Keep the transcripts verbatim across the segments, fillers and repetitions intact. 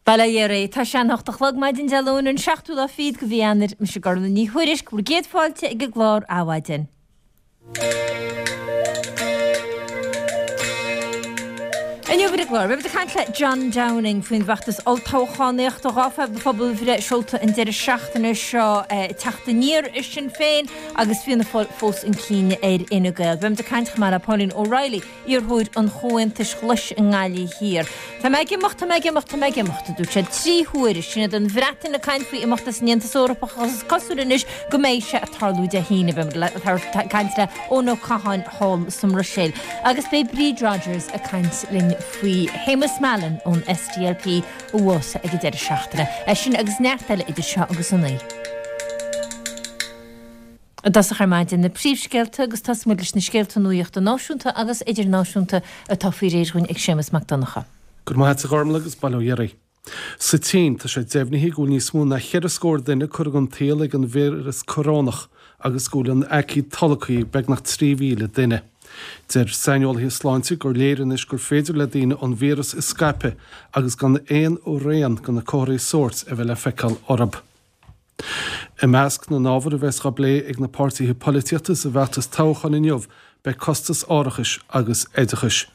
Bail ó Dhia oraibh. Tá sé an hocht a chlog maidin Dé Luain an seachtú lá fichead de mhí Eanáir. Mise Gormfhlaith Ní Thuairisg, bhur gcéad fáilte ag an gclár Adhmhaidin. Inniu ar an gclár, beimid ag caint le John Downing faoin bhfeachtas olltoghchánaíochta dhá phobalbhreith seolta an deireadh seachtaine seo ag teacht aniar i Sinn Féin agus Fianna Fáil fós chun cinn ar Fhine Gael. Beimid ag caint chomh maith le Pauline O'Reilly, iarrthóir an Chomhaontais Ghlais i nGaillimh Thiar. Tá mé ag imeacht, tá mé ag imeacht, tá mé ag imeacht, a dúirt sé trí huaire. Sin iad an Bhreatain ag caint faoi imeacht as an Aontas Eorpach agus is cosúil anois go mbeidh sé ag tarlú Dé hAoine. Beimid ag caint le Eoin Ó Catháin thall sa mBruiséil. Agus beidh Bríd Rodgers ag caint linn faoi Shéamus Mallon ón SDLP a bhásaigh ag an deireadh seachtaine. É sin agus neart eile idir seo agus a naoi. I dtosach ar maidin na príomhscéalta agus tosóidh muid leis na scéalta nuachta náisiúnta agus idirnáisiúnta atá faoi réir dhúinn ag Séamus Mac Donncha. Go raibh maith agat a Ghormfhlaith agus bail ó Dhia oraibh. Sa tSín, tá sé deimhnithe go bhfuil níos mó ná cheithre scór duine curtha den tsaol ag an víreas corónach agus go bhfuil an aicíd tolgtha ag beagnach trí mhíle duine. Deir saineolaithe sláinte gur léir anois gur féidir le daoine an víreas a scaipeadh agus gan aon rian de na comharthaí sóirt a bheith le feiceáil orthu. I measc na n-ábhar a bheas á bplé ag na páirtithe polaitíochta sa bhfeachtas toghcháin inniu beidh costas árachais agus oideachais.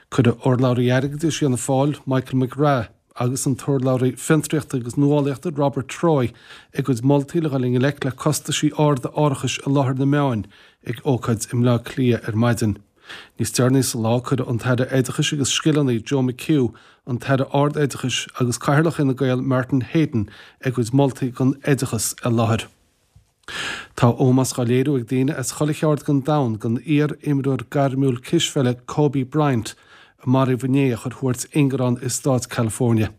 Cuirfidh urlabhraí airgeadais Fhianna Fáil, Michael McGrath, agus an t-urlabhraí fiontraíochta agus nuálaíochta Robert Troy a gcuid moltaí le dhul i ngleic le costaisí arda árachais i láthair na meáin ag ócáid i mBleá Cliath ar maidin. Níos deireanaí sa lá cuirfidh an tAire Oideachais agus Scileanna Joe McHugh, an tAire Ard-Oideachais agus Cathaoirleach Fhine Gael Martin Heydon a gcuid moltaí don oideachas i láthair. Tá ómós á léiriú ag daoine as chuile cheard den domhan don iar-imreoir gairmiúil cispheile Kobe Bryant a maraíodh inné a chuir thuairt ingearán i stát California.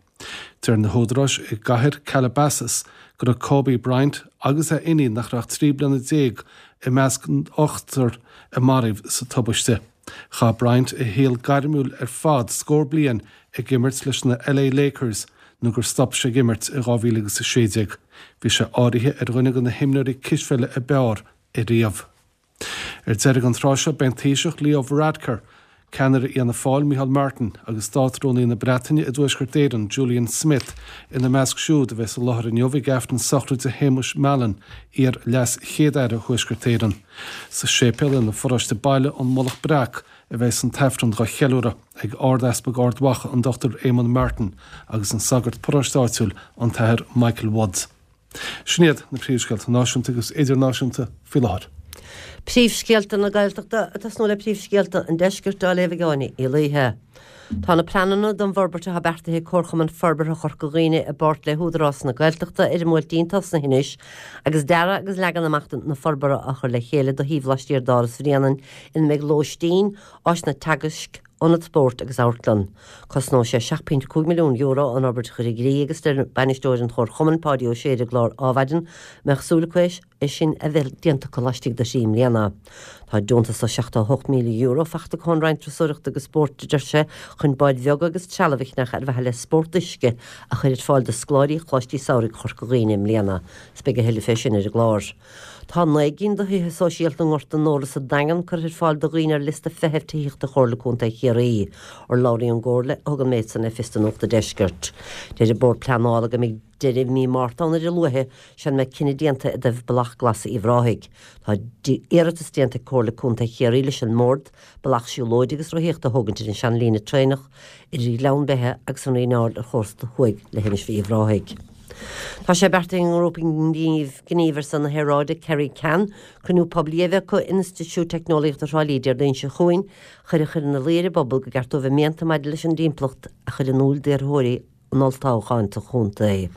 Deir na húdaráis i gcathair Calabasas go raibh Kobe Bryant agus a iníon nach raibh ach trí bliana déag i measc an ochtar a maraíodh sa tubaiste. Chaith Bryant a shaol gairmiúil ar fad scór bliain ag imirt leis na LA Lakers nó gur stop sé ag imirt i dhá mhíle agus a sé déag. Bhí sé áirithe ar dhuine de na himreoirí cispheile ab fhearr ariamh. Ar deireadh an tráth seo beidh an Taoiseach Leo Varadkar, ceannaire Fhianna Fáil Micheál Martin agus Státrúnaí na Breataine i dTuaisceart Éireann Julian Smith ina measc siúd a bheas i láthair inniu ag Aifreann sochraide Shéamuis Mallon, iar-Leas-Chéad-Aire Thuaisceart Éireann. Sa séipéal ina pharóiste baile, An Mullach Breac, a bheas an tAifreann dhá cheiliúradh ag Ard-Easpag Ard Mhacha an Dochtúir Éamon Martin agus an sagart paróiste áitiúil an tAthair Michael Woods. Sin iad na príomhscéalta náisiúnta agus idirnáisiúnta faoi láthair. Príomhscéalta na Gaeltachta ag tosnú le príomhscéalta an Deiscirt á léamh ag Áine Uí Laoithe. Tá na pleananna don bhforbairt atá beartaithe ag Comharchumann Forbartha Chorca Dhuibhne i bpáirt le hÚdarás na Gaeltachta ar an mBuailtín tosnaithe anois agus dearadh agus leagan amach na forbartha á chur le chéile do shuíomh laistiar d'Áras Bhréanainn ina mbeidh lóistín, áiseanna teagaisc, ionad spóirt agus amharclann. Cosnóidh sé seacht pointe cúig milliún euro an fhorbairt a chur i gcrích agus deir bainisteoir an Chomharchumainn, Páidí Ó Sé ar an gclár Adhmhaidin, go mbeadh súil acu é sin a bheith déanta acu laistigh de thrí mbliana. Tá deontas de seachtó a hocht míle euro faighte acu ón Roinn Turasóireachta agus Spóirt, a deir sé, chun báid bheaga agus trealamh a cheannach ar mhaithe le spórt uisce a chur ar fáil do scoláirí Choláistí Samhraidh Chorca Dhuibhne i mbliana. Is beidh a thuilleadh fé sin ar an gclár. Tá naoi gcinn de thithe sóisialta i nGort an Óra sa Daingean curtha ar fáil do dhaoine ar liosta feithimh tithíochta Chomhairle Contae Chiarraí. Urlabhraí ón gComhairle a thug an méid san le fios do Nuacht an Deiscirt. Deir an Bord Pleanála go mbeidh deireadh mhí Márta ann ar a luaithe sula mbeidh cinneadh déanta i dtaobh Bealach Glas Uíbh Ráthaigh. Tá iarratas déanta ag Comhairle Contae Chiarraí leis an mBord bealach siúlóide agus rothaíochta a thógaint ar an seanlíne traenach idir Ghleann Beithe agus an Rí Ard ar chósta thuaidh Leithinis Uíbh Ráthaigh. Tá sé beartaithe ag an ngrúpa gnímh ar son na haeráide, Kerry Can, cruinniú poiblí a bheith acu in Institiúid Teicneolaíochta Thrá Lí Déardaoin seo chugainn chun a chur ina luí ar an bpobal go gceart dóibh a mianta maidir leis an dtimpeallacht a chur in iúl d'iarrthóirí an olltoghcháin sa chontae.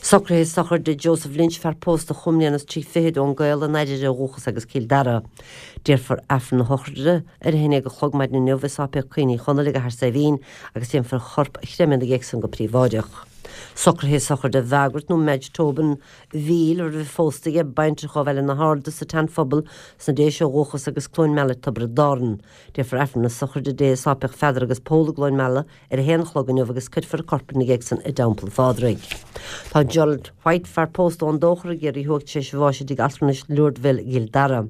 Socruithe sochraide Joseph Lynch, fear pósta chúig mbliana is trí fichid ón gCaol, an Airire ó dhúchas agus Cill Dara. Déarfar Aifreann na sochraide ar a haon déag a chlog maidin inniu i Sáipéal Caoin Uí Chonaill i gCathair Saidhbhín agus déanfar a chorp a chreimeadh ina dhiaidh san go príobháideach. Socruithe sochraide Mhargaret nó Madge Tobin Mhíl, a raibh phósta aige, baintreach ó Bhaile na hArda sa tSean-Phobal sna Déise ó dhúchas agus Cluain Meala Tiobraid Árann. Déarfar Aifreann na sochraide di i Sáipéal Pheadair agus Pól i gCluain Meala ar a haon a chlog inniu agus cuirfear a corp ina dhiaidh san i dTeampall Phádraig. Tá Gerald White fear pósta ón Dóchar i gCiarraí Thuaidh tar éis bháis i dtigh altranais Lourdeville i gCill Dara.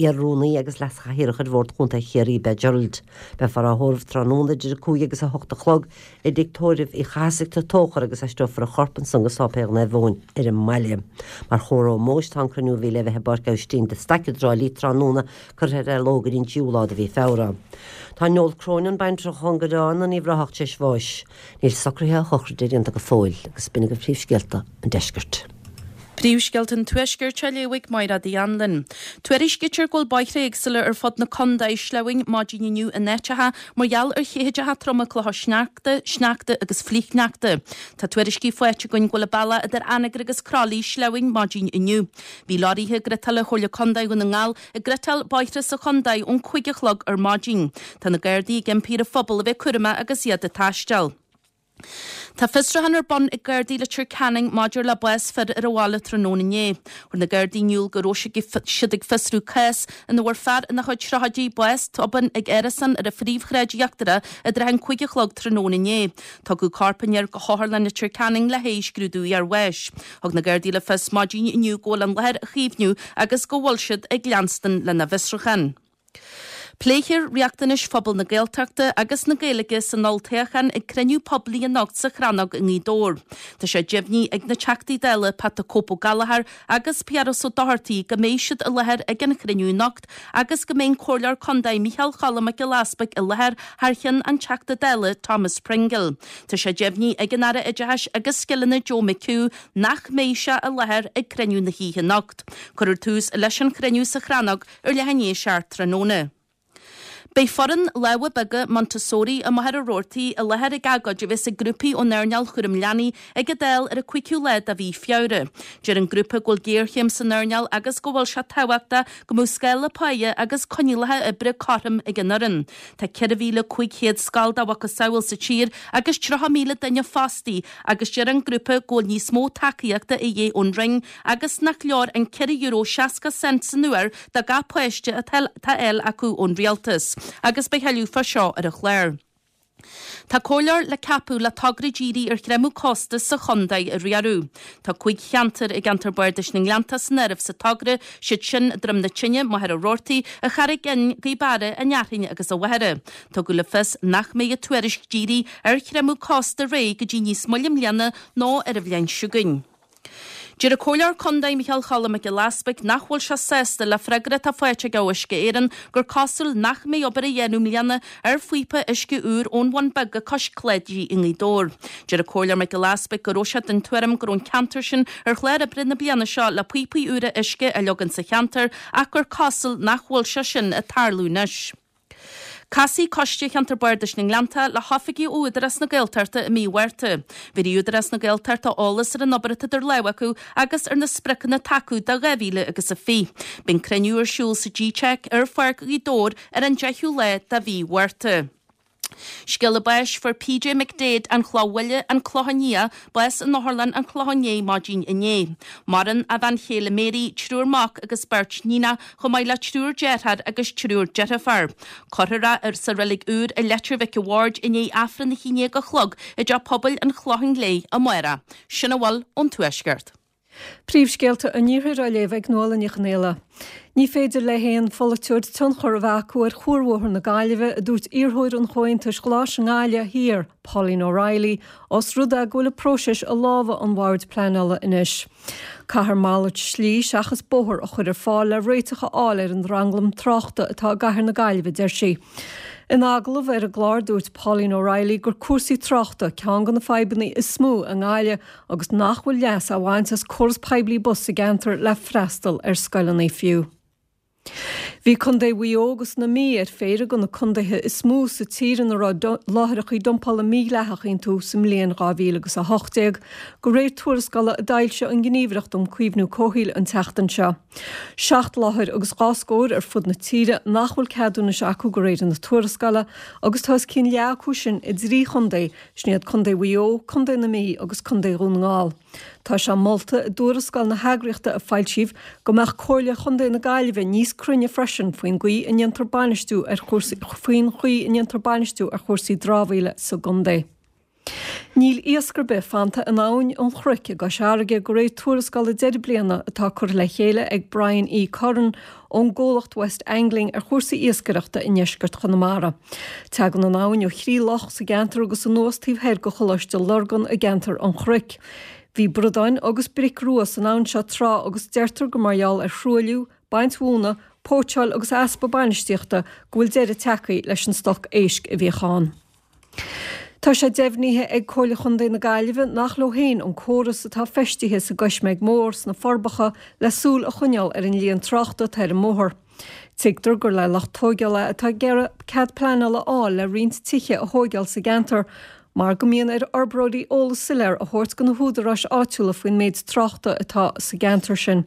Iar-rúnaí agus leas-chathaoirleach ar Bhord Chontae Chiarraí ab ea Gerald. Beifear á thórramh tráthnóna idir a cúig agus a hocht a chlog i dtigh tórraimh Uí Chathasaigh sa Tóchar agus aistreofar a chorp ansan go Sáipéal Naomh Eoin ar an mbaile. Mar chomhartha ómóis tá an cruinniú a bhí le bheith i bPáirc Aibhistín de Staic i dTrá Lí tráthnóna curtha ar athló go dtí an tríú lá de mhí Feabhra. Tá Noel Cronin, baintreach ón gCoireán in Uíbh Ráthach tar éis bháis. Níl socruithe a shochraide déanta go fóill agus b'in agaibh príomhscéalta an deiscirt. Príomhscéalta an Tuaiscirt á léamh ag Máire Uí Anluain. Tuairiscítear go bhfuil bóithre éagsúla ar fud na contae sleamhain maidin inniu in áiteacha mar gheall ar chéideacha troma clocha sneachta, sneachta agus flichshneachta. Tá tuairiscí faighte againn go bhfuil an bealach idir Anagaire agus Croithlí sleamhain maidin inniu. Bhí lorraithe ghriotála Chomhairle Contae Dhún na nGall ag griotáil bóithre sa chontae ón cúig a chlog ar maidin. Tá na Gardaí ag impí ar an phobal a bheith cúramach agus iad ag taisteal. Tá fiosrúchán ar bun ag Gardaí Leitir Ceanainn maidir le bás fir ar an bhaile tráthnóna inné. Chuir na Gardaí in iúl go raibh siad ag fiosrú cás ina bhfuair fear ina chuid tríochaidí bás tobann ag árasán ar an phríomhshráid íochtarach i dtrátha an cúig a chlog tráthnóna inné. Tugadh corp an fhir go hOtharlann Leitir Ceanainn le haghaidh scrúdú iarbháis. Thug na Gardaí le fios maidin inniu go bhfuil an láthair á caomhnú agus go bhfuil siad ag leanstan lena bhfiosrúchán. Pléifear riachtanais phobal na Gaeltachta agus na Gaeilge san olltoghchán ag cruinniú poiblí anocht sa Chrannóg i nGaoth Dobhair. Tá sé deimhnithe ag na Teachtaí Dála Pat the Cope Ó Gallchóir agus Piaras Ó Dochartaigh go mbeidh siad i láthair ag an chruinniú anocht agus go mbeidh an Comhairleoir Contae Micheál Cholm Mac Giolla Easpaig i láthair thar cheann an Teachta Dála Thomas Pringle. Tá sé deimhnithe ag an Aire Oideachais agus Scileanna Joe McHugh nach mbeidh sé i láthair ag cruinniú na hoíche anocht. Cuirfear tús leis an chruinniú sa Chrannóg ar leath i ndiaidh a seacht tráthnóna. Beidh foireann lámha beaga Montessori i Machaire Rabhartaigh i láthair ag agóid a bheas ag grúpaí ón earnáil chúram leanaí ag an Dáil ar an cúigiú lá de mhí Feabhra. Deir an grúpa go bhfuil géarchéim san earnáil agus go bhfuil sé tábhachtach go mbeadh scála páighe agus coinníollacha oibre cothrom ag an fhoireann. Tá ceithre mhíle cúig chéad scoil dá mhacasamhail sa tír agus tríocha míle duine fostaí agus deir an grúpa go bhfuil níos mó tacaíochta a dhíth ón Roinn agus nach leor an ceithre euro seasca cent san uair do gach páiste atá á fháil acu ón rialtas. Agus beidh tuilleadh fá seo ar an chlár. Tá comhairleoir le ceapadh le togra dírithe ar chreimeadh costas sa chontae a riaradh. Tá cúig cheantar i gceantar Bardais na nGleannta san áireamh sa togra, siad sin Droim na Tine, Machaire Rabhartaigh, an Charraig Fhinn, Gaoth Beara, an Fhearthainn agus an Mhachaire. Tugadh le fios nach mbeidh an tuairisc dírithe ar chreimeadh costas réidh go dtí níos moille i mbliana nó ar an bhliain seo chugainn. Deir an Comhairleoir Contae Micheál Cholm Mac Giolla Easpaig nach bhfuil sé sásta le freagra atá faighte aige ó Uisce Éireann gur cosúil nach mbeidh obair á dhéanamh i mbliana ar phíopa uisce úr ón Bhun Beag go Cois Cláidí i nGaoth Dobhair. Deir an Comhairleoir Mac Giolla Easpaig go raibh sé den tuairim go raibh an ceantar sin ar chlár oibre na bliana seo le píopaí úra uisce a leagan sa cheantar ach gur cosúil nach bhfuil sé sin ag tarlú anois. Casfaidh Coiste Cheantar Bardais na nGleannta le hoifigigh ó Údarás na Gaeltachta i mí Mhárta. Bhéarfaidh Údarás na Gaeltachta eolas ar an obair atá idir lámha acu agus ar na spriocanna atá acu do dhá mhíle agus a fiche. Beidh an cruinniú ar siúl sa G-Tech ar Pháirc Ghaoth Dobhair ar an deichiú lá de mhí Mhárta. Scéala báis fuair P J McDaid an Chloch Bhaile an Clochán Liath bás in Otharlann an Chlocháin Léith maidin inné. Maireann a bhean chéile Mary, triúr mac agus beirt níonacha chomh maith le triúr deartháir agus triúr deirfiúr. Cuirfear é sa reilig úr i Leitir Mhic a' Bhaird i ndiaidh Aifreann a haon déag a chlog i dteach pobail an Chlocháin Léith amárach. Sin a bhfuil ón Tuaisceart. Príomhscéalta an Iarthair á léamh ag Nuala Ní Chonghaile. Ní féidir le haon pholaiteoir tionchar a bheith acu ar chuarbhóthar na Gaillimhe, a dúirt iarrthóir an Chomhaontais Ghlais i nGaillimh Thiar, Pauline O'Reilly, os rud é go bhfuil an próiseas i lámha an bhoird pleanála anois. Caithfear malairt slí seachas bóthar a chur ar fáil le réiteach a fháil ar an dtranglam tráchta atá i gcathair na Gaillimhe, deir sí. In agallamh ar an gclár dúirt Pauline O'Reilly gur cúrsaí tráchta ceann de na fadhbanna is mó i nGaillimh agus nach bhfuil leas á bhaint as córas poiblí bus sa gceantar le freastal ar scoileanna fiú. Bhí Contae Mhaigh Eo agus na Mí ar phéire de na contaetha is mó sa tír ina raibh láithreacha dumpála mídhleathach iontu sa mbliain dhá mhíle agus a hocht déag, de réir tuarascála a d'fhoilsigh an Ghníomhaireacht um Caomhnú Comhshaoil an tseachtain seo. Seacht láthair agus dhá scór ar fud na tíre nach bhfuil ceadúnais acu de réir na tuarascála agus tá os cionn leath acu sin i dtrí chontae, sin iad Contae Mhaigh Eo, Contae na Mí agus Contae Dhún na nGall. Tá sé molta i dtuarascáil na heagraíochta a foilsíodh go mbeadh Comhairle Chontae na Gaillimhe níos cruinne freisin faoin gcaoi a ndéantar bainistiú ar chúrsaí faoin chaoi a ndéantar bainistiú ar chúrsaí dramhaíola sa gcontae. Ní Níl iasc ar bith fanta in Abhainn an Chnoic i gCois Fharraige de réir tuarascála deireadh bliana atá curtha le chéile ag Brian E. Curran ón gcomhlacht West Angling ar chúrsaí iascaireachta i ndeisceart Chonamara. Tagann an abhainn ó thrí loch sa gceantar agus anuas taobh thoir de Choláiste Lurgan i gceantar an Chnoic. Bhí bradáin agus bric rua san abhainn seo tráth agus deirtear gur mar gheall ar thruailliú, baint mhóna, póitseáil agus easpa bainistíochta go bhfuil deireadh tagtha leis an stoc éisc a bhíodh ann. Tá sé deimhnithe ag Comhairle Chontae na Gaillimhe nach leo féin an córas atá feistithe sa gCoisméig Mhór sna Forbacha le súil a choinneáil ar an líon tráchta atá ar an mbóthar. Tuigtear gur le lucht tóigeála atá ag iarraidh cead pleanála a fháil le roinnt tithe a thóigeáil sa gceantar, mar go mbíonn ar fhorbróirí eolas soiléir a thabhairt do na húdaráis áitiúla faoin méid tráchta atá sa gceantar sin.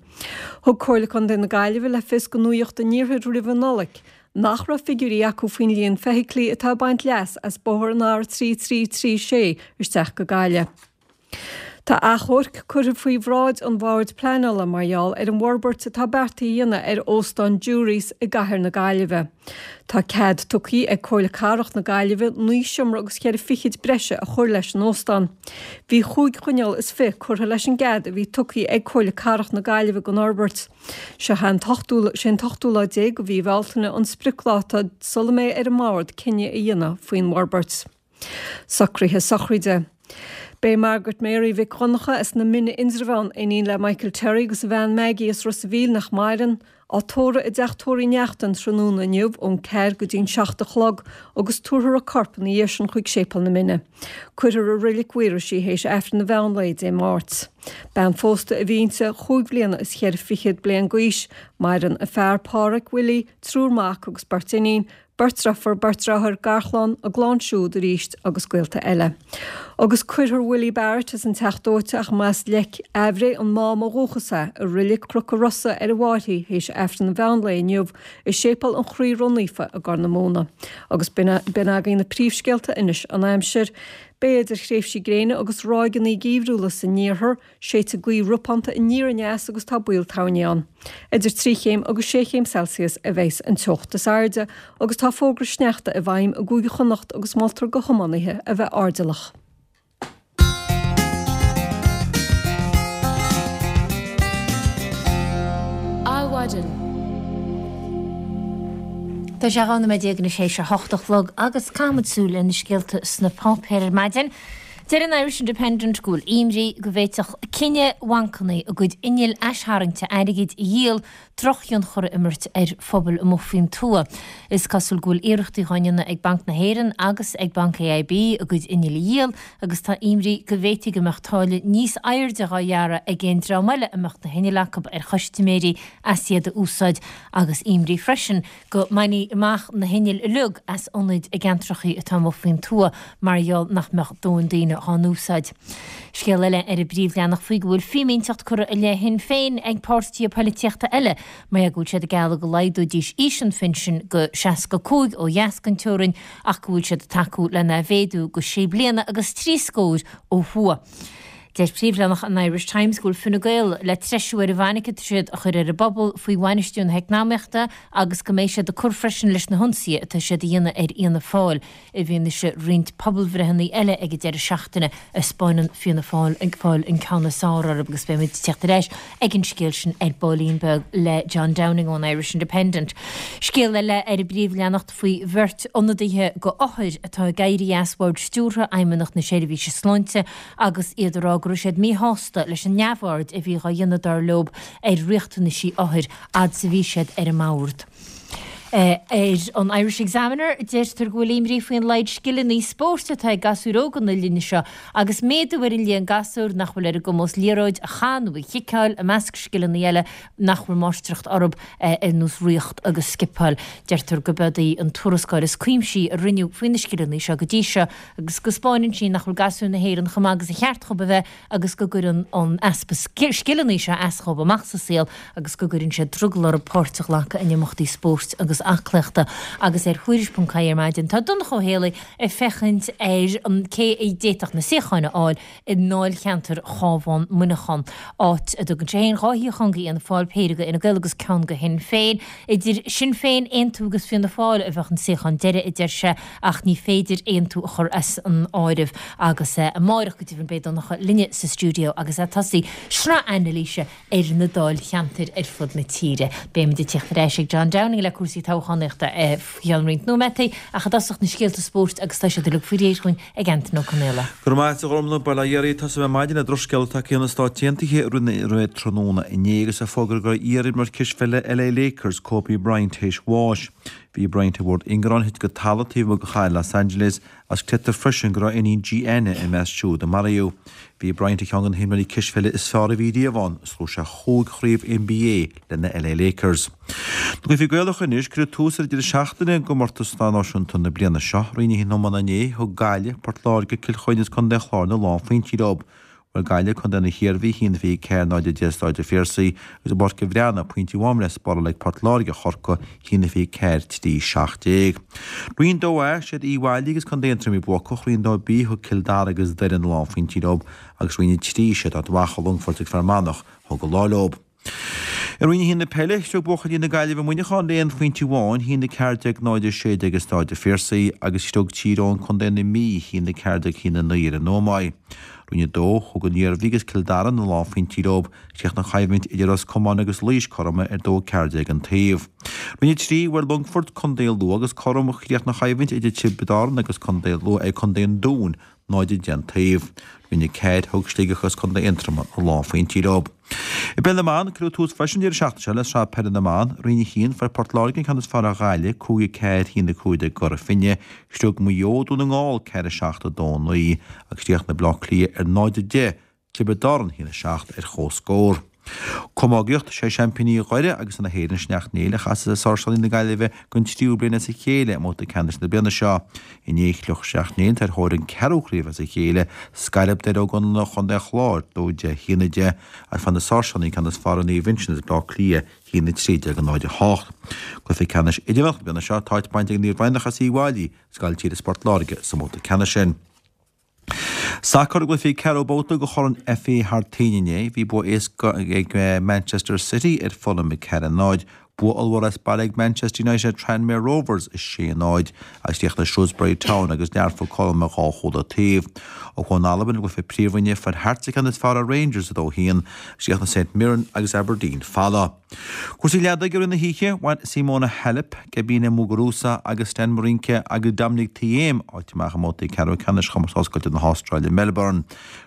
Thug Comhairle Contae na Gaillimhe le fios do Nuacht an Iarthair roimh an Nollaig nach raibh figiúirí acu faoin líon feithiclí atá ag baint leas as bóthar an R trí trí trí sé isteach go Gaillimh. Tá achomharc curtha faoi bhráid an Bhoird Pleanála mar gheall ar an bhforbairt atá beartaithe a dhéanamh ar Óstán Jurys i gcathair na Gaillimhe. Tá cead tugtha ag Comhairle Cathrach na Gaillimhe naoi seomra agus ceithre fichid breise a chur leis an óstán. Bhí chúig choinníoll is fiche curtha leis an gcead a bhí tugtha ag Comhairle Cathrach na Gaillimhe don fhorbairt. Seo an t-ochtú sé an t-ochtú lá déag de mhí Bhealtaine an spriocdháta sula mbeidh ar an mbord cinneadh a dhéanamh faoin bhforbairt. Socruithe sochraide. Beidh Margaret Mary Mhic Dhonncha as na Mine Indreabhán, iníon le Michael Terry agus a bhean Maggie as Ros a' Mhíl nach maireann, á tórramh i dteach tórraimh Uí Neachtain tráthnóna inniu ón ceathair go dtí'n seacht a chlog agus tabharfar a corp ina dhiaidh sin chuig Séipéal na Mine. Cuirfear i Reilig Mhaorais í théis Aifreann an mheán lae Dé Máirt. Bean phósta a bhí inti chúig bhliana is cheithre fichead bliain d'aois, maireann a fear Páraic Willie, triúr mac agus beirt iníon, beirt deirfiúr, beirt deartháir, garchlann, a gclann siúd arís agus gaolta eile. Agus cuirfear Willie Barrett as an Teach Dóite ach más Leic Aimhréidh an Mám ó dhúchas é, i Reilig Chnoc an Rosa ar a mhairfidh théis Aifreann an mheán lae inniu i Séipéal an Chroí Ró-Naofa i gCorr na Móna. Agus b'in againn na príomhscéalta anois an aimsir. Beidh idir thréimhsí gréine agus ráigeanna geimhriúla san iarthar, séidfidh gaoth ropánta aniar aneas agus tá baol toirní ann. Idir trí chéim agus sé chéim Celsius a bheas an teocht is airde agus tá fógra sneachta i bhfeidhm i gCúige Chonnacht agus moltar do thiománaithe a bheith airdeallach. Adhmhaidin. Tá sé dhá nóiméad déag anois théis a hocht a chlog agus caithfimid súil ar na scéalta sna páipéir ar maidin. Deir an Irish Independent go bhfuil imní go bhféadfadh cinneadh bhancanna a gcuid innill aistarraingte airgid a dhíol drochthionchar a imirt ar phobail amuigh faoin tuath. Is cosúil go bhfuil iarrachtaí á ndéanamh ag Banc na hÉireann agus ag Banc AIB a gcuid innill a dhíol agus tá imní go bhféadfaidh go mbeadh táille níos airde á ghearradh ag aon dream eile a mbeadh na hinnill acu ar chustaiméirí as iad a úsáid agus imní freisin go mbainfí amach na hinnill uilig as ionaid i gceantracha atá amuigh faoin tuath mar gheall nach mbeadh dóthain daoine á n-úsáid. Scéal eile ar an bpríomhleathanach faoi go bhfuil fímínteacht curtha i leith Shinn Féin ag páirtithe polaitíochta eile mar go bhfuil siad ag gealladh go laghdóidís aois an phinsin go seasca cúig ó dheas den teorainn ach go bhfuil siad ag tacú lena mhéadú go sé bliana agus trí scór ó thuaidh. Deir príomhleathanach an Irish Times go bhfuil Fine Gael le treisiú ar an bhfainic atá siad a chur ar an bpobal faoi bhainistiú na heacnamaíochta agus go mbeidh siad ag cur freisin leis na hionsaithe atá siad a dhéanamh ar Fhianna Fáil i bhfianaise roinnt pobalbhreitheanna eile ag an deireadh seachtaine a 'spáineann Fianna Fáil ag fáil an ceann is fearr orthu agus beidh muid ag teacht ar ais ag an scéal sin ar baillín beag le John Downing ón Irish Independent. Scéal eile ar an bpríomhleathanach faoi bheirt ionadaithe d'othair atá ag éirí as bhord stiúrtha Fheidhmeannacht na Seirbhíse Sláinte agus iad ag rá go raibh siad míshásta leis an neamhaird a bhí á dhéanamh dar leo ar riachtanaisí othair fhad is a bhí siad ar an mbord. Ar an Irish Examiner, deirtear go bhfuil imní faoin laghad scileanna spóirt atá ag gasúir óga na linne seo agus méadú ar an líon gasúr nach bhfuil ar a gcumas liathróid a chaitheamh nó a chiceáil i measc scileanna eile nach bhfuil máistreacht orthu ar nós rothaíocht agus scipeáil. Deirtear go b'eod í an tuarascáil is cuimsí a rinneadh faoi na scileanna seo go dtí seo agus go 'spáineann sí nach bhfuil gasúir na hÉireann chomh maith agus a cheart dhóibh a bheith agus go gcuireann an easpa scileanna seo as dhóibh amach sa saol agus go gcuireann sé drogall orthu páirt a ghlacadh in imeachtaí spóirt agus aclaíochta agus ar Thuairisc ponc ie ar maidin tá Donncha Ó Héalaí ag féachaint ar an cé a d'fhéadfadh na suíocháin a fháil i ndáilcheantar Chábhán Muineachán, áit a dtugann sé féin dhá shuíochán go Fhianna Fáil, péire go Fhine Gael agus ceann go Shinn Féin. Idir Sinn Féin, Aontú agus Fianna Fáil a bheadh an suíochán deiridh, a deir sé, ach ní féidir Aontú a chur as an áireamh agus amárach go deimhin beidh Donncha linne sa stiúideo agus é ag tosaí sraith anailíse ar na dáilcheantair ar fud na tíre. Beimid ag tíocht ar ais ag John Downing le cúrsaí toghchánaíochta faoi cheann roinnt nóiméadaí ach i dtosach na scéalta spóirt agus tá siad uilig faoi réir dhúinn ag Antain Ó Conaola. Go raibh maith agat a Ghormfhlaith, bail ó Dhia oraibh. Tosóidh mé ar maidin le drochscéala tagtha ó na Stáit Aontaithe roimh tráthnóna inné agus é fógartha go raibh iarimreoir cispheile LA Lakers, Kobe Bryant, théis bháis. Bhí Bryant ar bhord ingearáin a thit go talamh taobh amuigh de chathair Los Angeles agus creidtear freisin go raibh a iníon Gianna i measc siúd a maraíodh. Bhí Bryant ar cheann de na himreoirí cispheile is fearr a bhí riamh ann agus ghnóthaigh sé chúig chraobh NBA le na LA Lakers. Na cluichí Gaelacha anois, cuireadh tús ar an deireadh seachtaine i gcomórtas náisiúnta na bliana seo. Roinn a haon iomána inné, thug Gaillimh, Port Láirge, Cill Chainnigh agus Contae an Chláir na lánphointí leo. Bhuail Gaillimh Contae na hIarmhí a haon a fiche ceathair náid a deich i Stáid an Phiarsaigh agus i bPáirc an Bhreathnaigh, pointí amháin le spáráil ag Port Láirge ar Chorcaigh, a haon a fiche ceathair trí seacht déag. Roinn dó A, siad Uíbh Fhailí agus Contae Aontroim a bhí buacach, Roinn dó B, thug Cill Dara agus Doire na lánphointí leo agus Roinn a trí, siad Ard Mhacha, Longfort agus Fear Manach a thug an lá leo. I Roinn a haon na peile, shroich buachaillí na Gaillimhe Muineachán le aon phointe amháin, a haon a ceathair déag náid a sé déag i Stáid an Phiarsaigh, agus shroich Tír Eoghain Contae na Mí, a haon a ceathair déag a haon a naoi ar an Ómaigh. Roinn a dó, thug an Iarmhí agus Cill Dara na lánphointí leo, chríochnaigh an choimhlint idir Ros Comáin agus Laois cothrom ar dó a ceathair déag an taobh. Roinn a trí, bhuail Longfort Contae Lú agus cothrom a chríochnaigh an choimhlint idir Tiobraid Árann agus Contae Lú ag Contae an Dúin, náid a deich an taobh. Roinn a ceathair, thug Sligeach agus Contae Aontroma na lánphointí leo. I bpeil na mban, cuireadh tús freisin an deireadh seachtaine seo le Sraith Peile na mBan, Roinn a haon, fuair Port Láirge an ceann is fearr ar Ghaillimh, cúig a ceathair, a haon a cúig déag i gCora Finne, Shroich Maigh Eo Dún na nGall, ceathair a seacht, a dó a naoi, agus chríochnaigh Baile Átha Cliath ar náid a deich, Tiobraid Árann a haon a seacht ar comhscór. Camógaíocht, Sé seaimpíní Dhoire agus na hÉireann Sneachta Néill a chasfas ar Sáirséalaigh na Gaillimhe don tríú bliain as a chéile i mbabhta ceannais na bliana seo. Inné shroich Sneachta Néill ar thóir an ceathrú craobh as a chéile, scailp Doire Ó gConaola Chontae an Chláir, dó deich a haon a deich, agus fuair na Sáirséalaigh an ceann is fearr ar Naomh Uinseann as Baile Átha Cliath, a haon a trí déag a náid a hocht. Cluiche ceannais idirmheánach na bliana seo, tá áit bainte ag Naomh Breathnach as Uíbh Fhailí, as Gaillimh Thiar is Port Láirge sa mbabhta ceannais sin. Sacar i gcluichí ceathrú babhta de Chorn FA thar toinn inné, bhí bua éasca ag Manchester City ar Fulham a ceathair a náid, bua ollmhór as baile ag Manchester United ar Tranmere Rovers a sé a náid agus chríochnaigh Shrewsbury Town agus Learpholl cothrom ar dhá chúl an taobh. Ó thuaidh in Albain i gcluiche Príomhroinne fuair Hearts an ceann is fearr ar Rangers a dó a haon agus chríochnaigh St Mirren agus Aberdeen folamh. Cúrsaí leadóige i rith na hoíche, bhain Simona Halep, Garbiñe Muguruza agus Stan Wawrinka agus Dominic Thiem áit amach i mbabhtaí ceathrú ceannais Chomórtas Oscailte na hAstráile i Melbourne.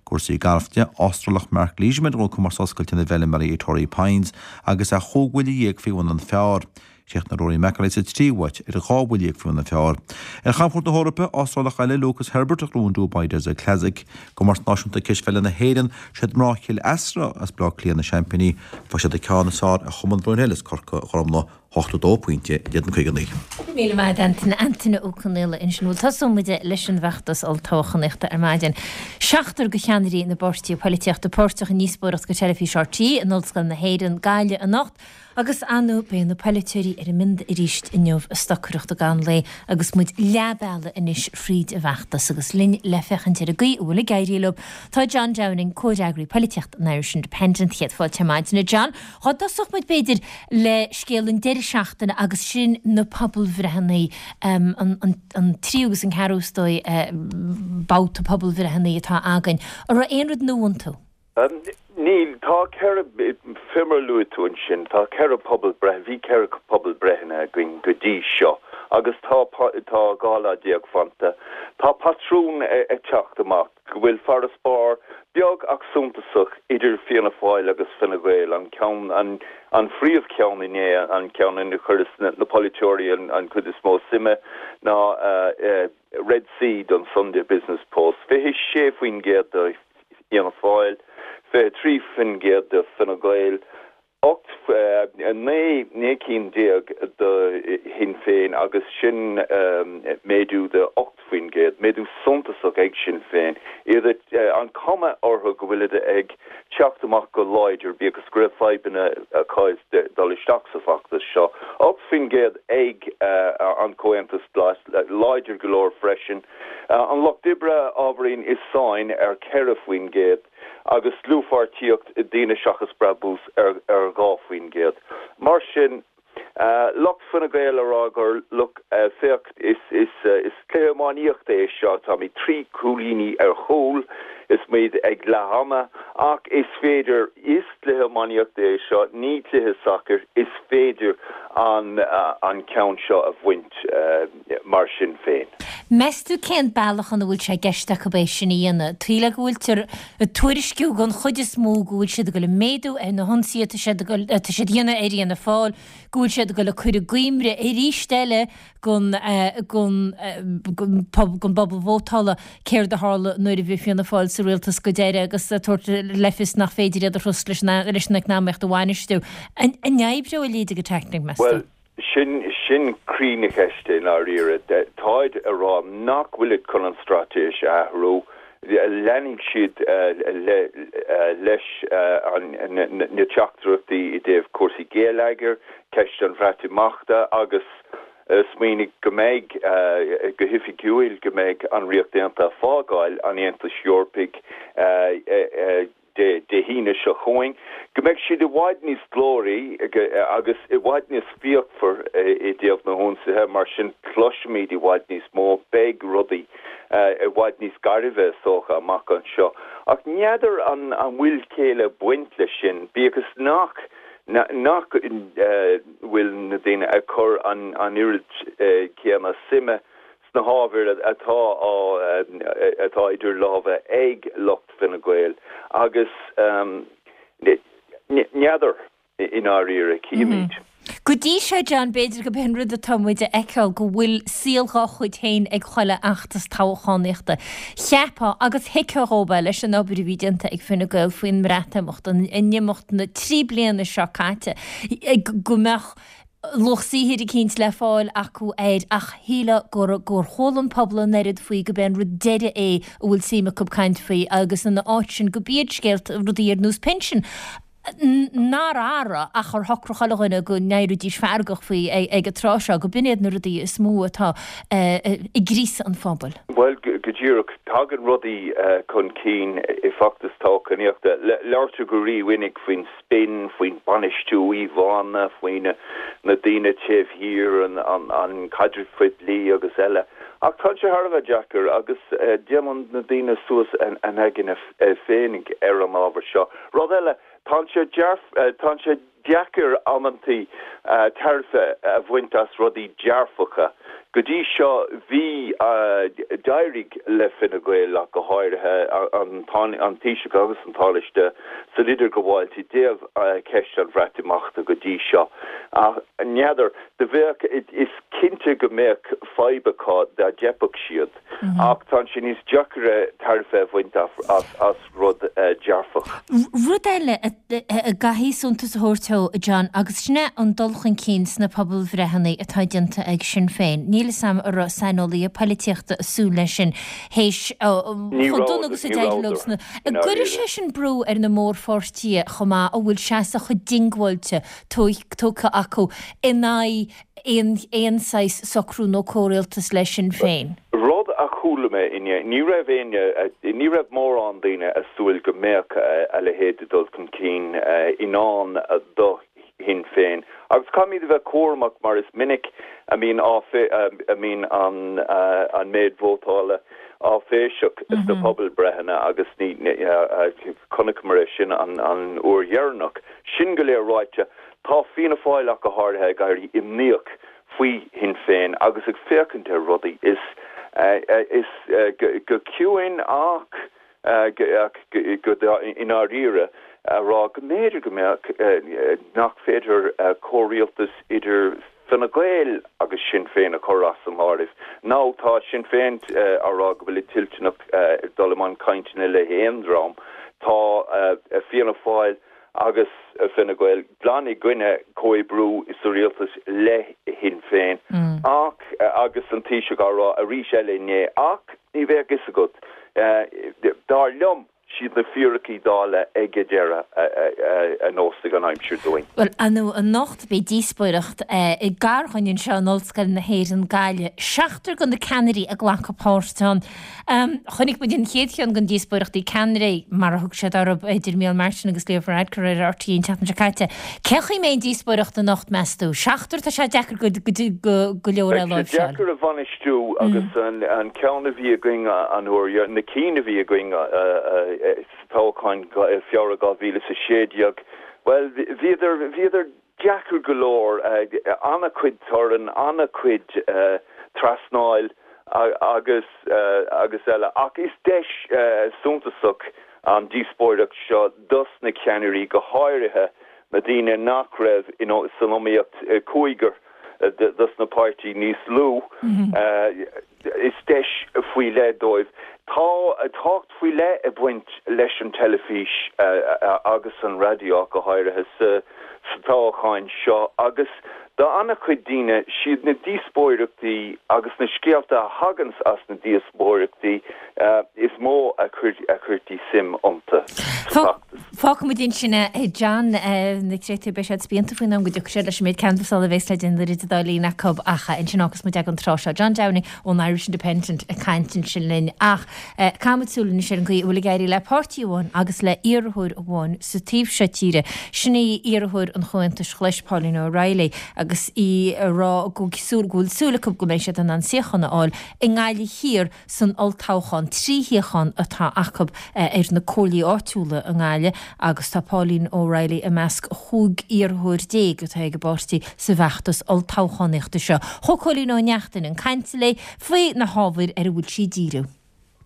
Cúrsaí gailf de, Astrálach Mark Leishman a ghnóthaigh Comórtas Oscailte na bhFeilméaraí i Torrey Pines agus é chúig bhuille dhéag faoi bhun an phar. Chríochnaigh Rory McIlroy sa tríú háit ar dhá bhuille dhéag faoi bhun an phar. Ar chamchuairt na hEorpa, Astrálach eile, Lucas Herbert, a ghnóthaigh an Dubai Desert Classic. Comórtas Náisiúnta Cispheile na hÉireann, siad mná Chill Easra as Baile Átha Cliath na seaimpíní. Fuair siad an ceann is fearr ar Chumann Broomhill as Corca Dhuibhne, ochtó a dó pointe in éadan caoga a naoi. Go raibh míle maith agat Antaine, Antaine Ó Conaola ansin. Bhuel tosóidh muid leis an bhfeachtas olltoghchánaíochta ar maidin. Seachtar de cheannairí na bpáirtithe polaitíochta páirteach i ndíospóireacht do Teilifís RTÉ in Ollscoil na hÉireann, Gaillimh anocht. Agus ar ndóigh beidh na polaiteoirí ar a mbionda arís inniu ag stocaireacht i gcaitheamh an lae agus muid leath bealaigh anois fríd an bhfeachtas agus linn le féachaint ar an gcaoi a bhfuil ag éirí leo tá John Downing, Comhfhreagraí Polaitíochta an Irish Independent. Céad fáilte ar maidin a John. Dhá dtosódh muid b'fhéidir le scéal an deireadh seachtaine agus sin na pobalbhreitheanna, an tríú agus an ceathrú is dóigh babhta pobalbhreitheanna atá againn. An raibh aon rud nua iontu? Níl, tá ceithre, fé mar a luaigh tú ansin, tá ceithre pobalbhreith, bhí ceithre pobalbhreitheanna againn go dtí seo agus tá, tá dhá lá déag fanta. Tá patrún ag teacht amach go bhfuil farasbarr beag ach suntasach idir Fianna Fáil agus Fine Gael, an ceann, an, an phríomhcheann inné, an ceann ina chuireas na, na polaiteoirí an, an chuid is mó suime ná Red C don Sunday Business Post, fiche sé faoin gcéad do Fhianna Fáil, fiche trí faoin gcéad do Fine Gael, Ocht, naoi, naoi cinn déag do Shinn Féin agus sin méadú de ocht faoin gcéad, méadú suntasach ag Sinn Féin. Iad, an cuma orthu go bhfuilid ag teacht amach go láidir, bíodh is go raibh fadhbanna acu dul isteach sa bhfeachtas seo. Ocht faoin gcéad ag an Comhaontas Glas, láidir go leor freisin. An Lucht Oibre ábhairín i sáinn ar ceithre faoin gcéad. agus dlúthpháirtíocht Daoine Seachas Brabús ar dhá faoin gcéad. Mar sin, lucht Fine Gael a rá gur, look, féach, is cluiche iománaíochta é seo, táimid trí cúilíní ar chúl is muid ag leath ama, ach is féidir, is cluiche iománaíochta é seo, ní cluiche sacair, is féidir an ceann seo a bhaint mar sin féin. Meas tú cén bealach ina bhfuil sé i gceist acu é sin a dhéanamh? Taobh le go bhfuiltear ag tuairisciú den chuid is mó go bhfuil siad ag dul ag méadú ar na hionsaithe atá siad ag dul atá siad a dhéanamh ar Fhianna Fáil, go bhfuil siad ag dul ag cur i gcuimhne arís eile don don don bpobal vótála céard a tharla nuair a bhí Fianna Fáil sa rialtas go deireadh agus ag tabhairt le fios nach féidir iad a thrust leis an leis an eacnamaíocht a bhainistiú. An oibreoidh a leithéid de tactic, meas tú? Bhuel, Sin, sin croí na ceiste i ndáiríre. Táid a rá nach bhfuilid chun an straitéis a athrú, leanfaidh siad leis na teachtaireachtaí i dtaobh cúrsaí geilleagair, ceist an Bhreatimeachta agus smaoinigh go mbeidh, go hoifigiúil, go mbeidh an Ríocht Aontaithe ag fágáil an Aontais Eorpaigh. Dé hAoine seo chugainn, go mbeidh siad i bhfad níos glóraí agus i bhfad níos fíochmhar i dtaobh na hionsaithe, mar sin cloisfimid i bhfad níos mó, beidh rudaí i bhfad níos gairbhe is dócha amach anseo. Ach n'fheadar an bhfuil céill ag baint leis sin, bíodh is nach nach bhfuil na daoine ag cur an oiread céanna suime sna hábhair atá á atá idir lámha ag lucht Fine Gael agus n'fheadar i ndáiríre, cífimid. Go dtí seo, John, b'fhéidir gurb é an rud atá muid a fheiceáil go bhfuil saol dhá chuid féin ag chuile fheachtas toghchánaíochta. Cheapfá, agus thuigfeá dhóibh é leis an obair a bhí déanta ag Fine Gael faoin mBreatimeacht in imeacht na trí bliana seo caite, go mbeadh luach saothair eicínt le fáil acu air ach shílfeá gur gur chuala an pobal an oiread faoi gurb é an rud deiridh é a bhfuil suim acu caint faoi agus ina áit sin gurb iad scéalta rudaí ar nós pinsin nár athraigh ach ar shocraigh chuile dhuine go n-éireoidís feargach faoi ag an tráth seo, go b'in iad na rudaí is mó atá ag gríosadh an phobail. Bhuel, go díreach, tagann rudaí chun cinn i bhfeachtas toghchánaíochta. Labhartar go rímhinic faoin spin, faoin bainistiú íomhánna, faoi na daoine taobh thiar, an caidreamh poiblí agus eile. Ach tá sé thar a bheith deacair agus déanann na daoine suas a n-aigne féinig ar an ábhar seo. Rud eile, tá sé tá sé deacair amantaí tairbhe a bhaint as rudaí dearfacha. Go dtí seo bhí, d'éirigh le Fine Gael ach go háirithe, an Taoiseach agus an Tánaiste san idirghabháil i dtaobh ceist an Bhreatimeachta go dtí seo. Ach n'fheadar, do bheadh, is cinnte go mbeadh fadhb acu dá dteipfeadh siad ach tá sé níos deacaire tairbhe a bhaint as rud dearfach. Rud eile a gcaithfí suntas a thabhairt dó, a John, agus sin é an dul chun cinn sna pobalbhreitheanna atá déanta ag Sinn Féin. Níl 'fhios a'm an raibh saineolaithe poilitíochta ag súil leis sin théis chomh dona agus a d'éirigh leo sna. An gcuirfidh sé sin brú ar na mórpháirtithe chomh maith a bhfuil seasamh chomh diongbháilte tógtha acu in aghaidh aon saghas socrú nó comhrialtas le Sinn Féin? Rud a chuala mé inné, ní raibh éinne, ní raibh mórán daoine ag súil go mbeadh a leithéid de dhul chun cinn i ndán do Shinn Féin. Agus caithfimid a bheith cúramach mar is minic a mbíonn a mbíonn an an méid vótála áiféiseach sna pobalbhreitheanna agus ní chonaiceamar é sin an an uair dheireanach. Sin go léir ráite, tá Fianna Fáil ach go háirithe ag éirí imníoch faoi Shinn Féin agus ag féachaint ar rudaí is is go ciúin ach go i ndáiríre a rá go mb'fhéidir go mbeadh nach féidir comhrialtas idir Fine Gael agus Sinn Féin a chur as an áireamh. Nó tá Sinn Féin á rá go bhfuilid toilteanach dul i mbun cainteanna le haon dream. Tá Fianna Fáil agus Fine Gael glan i gcoinne comhoibriú sa rialtas le Sinn Féin ach agus an Taoiseach á rá arís eile inné ach ní bheadh a fhios agat dar liom siad na fíricí Dála ag an deireadh a neosfaidh an aimsir dúinn. Bhuel, anocht beidh díospóireacht i gCarn anseo in Ollscoil na hÉireann Gaillimh. Seachtar de na ceannairí ag glacadh páirt ann. Chonaic muid an chéad cheann den díospóireachtaí ceannairí, mar a thug siad orthu, idir Micheál Martin agus Leo Varadkar ar RTÉ an tseachtain seo caite. Cén chaoi a mbeidh an díospóireacht anocht, meas tú? Seachtar, tá sé deacair go leor a Beidh sé láimhseáil. deacair a bhainistiú agus an ceann a bhí againn an uair, na cinn a bhí againn sa toghchán Feabhra dhá mhíle is a sé déag, bhuel, bhíodar, bhíodar deacair go leor, an-chuid torann, an-chuid trasnáil agus, agus eile. Ach is deis suntasach an díospóireacht seo dos na ceannairí, go háirithe na daoine nach raibh san iomaíocht, cúigear dos na páirtí níos lú. Is deis faoi leith dóibh. Tá tábhacht faoi leith ag baint leis an teilifís agus an raidió go háirithe sa toghchán seo agus do an-chuid daoine, siad na díospóireachtaí agus na scéalta a thaganns as na díospóireachtaí is mó a chuirtí suim iontu sa bhfeachtas. Fágfaimid ansin é, John. Na créatúir, beidh siad spíonta faoin am go dtiocfaidh siad leis an méid canbhasála a bhéas le déanamh idir an dá linn acu ach ansin fágfas muid ag an tráth seo. John Downing ón Irish Independent ag caint ansin linn ach caithfimid súil anois ar an gcaoi a bhfuil ag éirí le páirtí amháin agus le iarrthóir amháin sa taobh seo tíre. Sin í iarrthóir an Chomhaontais Ghlais, Pauline O'Reilly, agus í ag rá go bhfuil súil acu go mbeidh siad in ann suíochán a fháil i nGaillimh Thiar san olltoghchán. Trí shuíochán atá acu ar na comhairlí áitiúla i nGaillimh agus tá Pauline O'Reilly i measc chúig iarrthóir déag atá ag an bpáirtí sa bhfeachtas olltoghchánaíochta seo. Chuaigh Cóilín Ó Neachtain chun cainte léi faoi na hábhair ar a bhfuil sí ag díriú.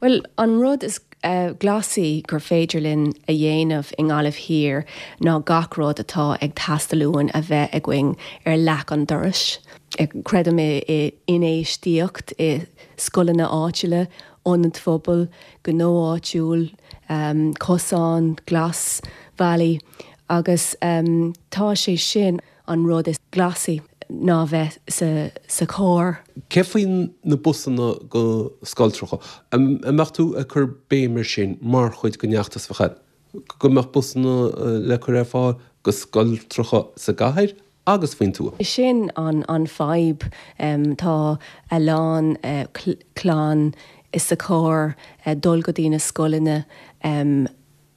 Bhuel, an rud is glasaí gur féidir linn a dhéanamh i nGaillimh Thiar ná gach rud atá ag teastáil uainn a bheith againn ar leac an dorais. Creidim i infheistíocht i scoileanna áitiúla, ionaid phobail, gnó áitiúil, cosán, glasbhealaí agus tá sé sin an rud is glasaí ná bheith sa sa charr. Cé faoi na busanna go scoiltreacha? An mbeadh tú ag cur béim ar sin mar chuid den fheachtas bheadh go mbeadh busanna le cur ar fáil go scoiltreacha sa gcathair agus faoin tuath? Sin an an fadhb. Tá a lán clann sa charr dul go dtí na scoileanna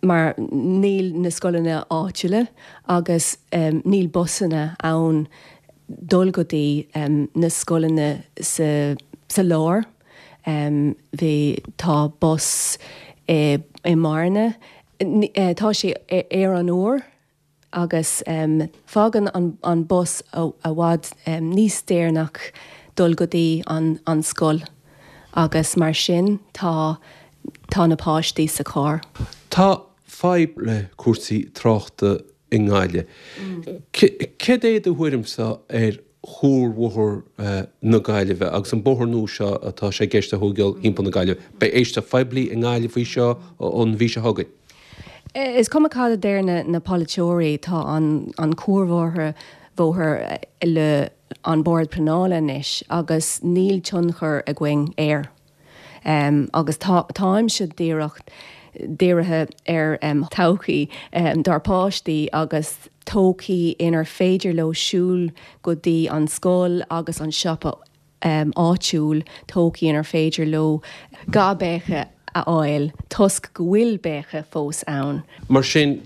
mar níl na scoileanna áitiúla agus níl busanna ann dul go dtí na scoileanna sa sa lár. Bhí tá bus i i mBearna. Tá sé ar an uair agus fágann an an bus i bhfad níos deireanach dul go dtí an an scoil agus mar sin tá tá na páistí sa charr. Tá fadhb le cúrsaí tráchta i nGaillimh. Céard é do thuairimse ar chuarbhóthar na Gaillimhe agus an bóthar nua seo atá sé i gceist a thógáil thimpeall na Gaillimhe? Beidh éisteacht phoiblí i nGaillimh faoi seo an mhí seo chugainn. Is cuma cad a deir na na polaiteoirí, tá an an cuarbhóthar bhóthar le an Bord Pleanála anois agus níl tionchar againn air. Um, agus tá táimse díreach dírithe ar um, todhchaí um, dár páistí agus todhchaí inar féidir leo siúl go dtí an scoil agus an siopa um, áitiúil, todhchaí inar féidir leo dhá béice a fháil toisc go bhfuil béice fós ann. Mar sin,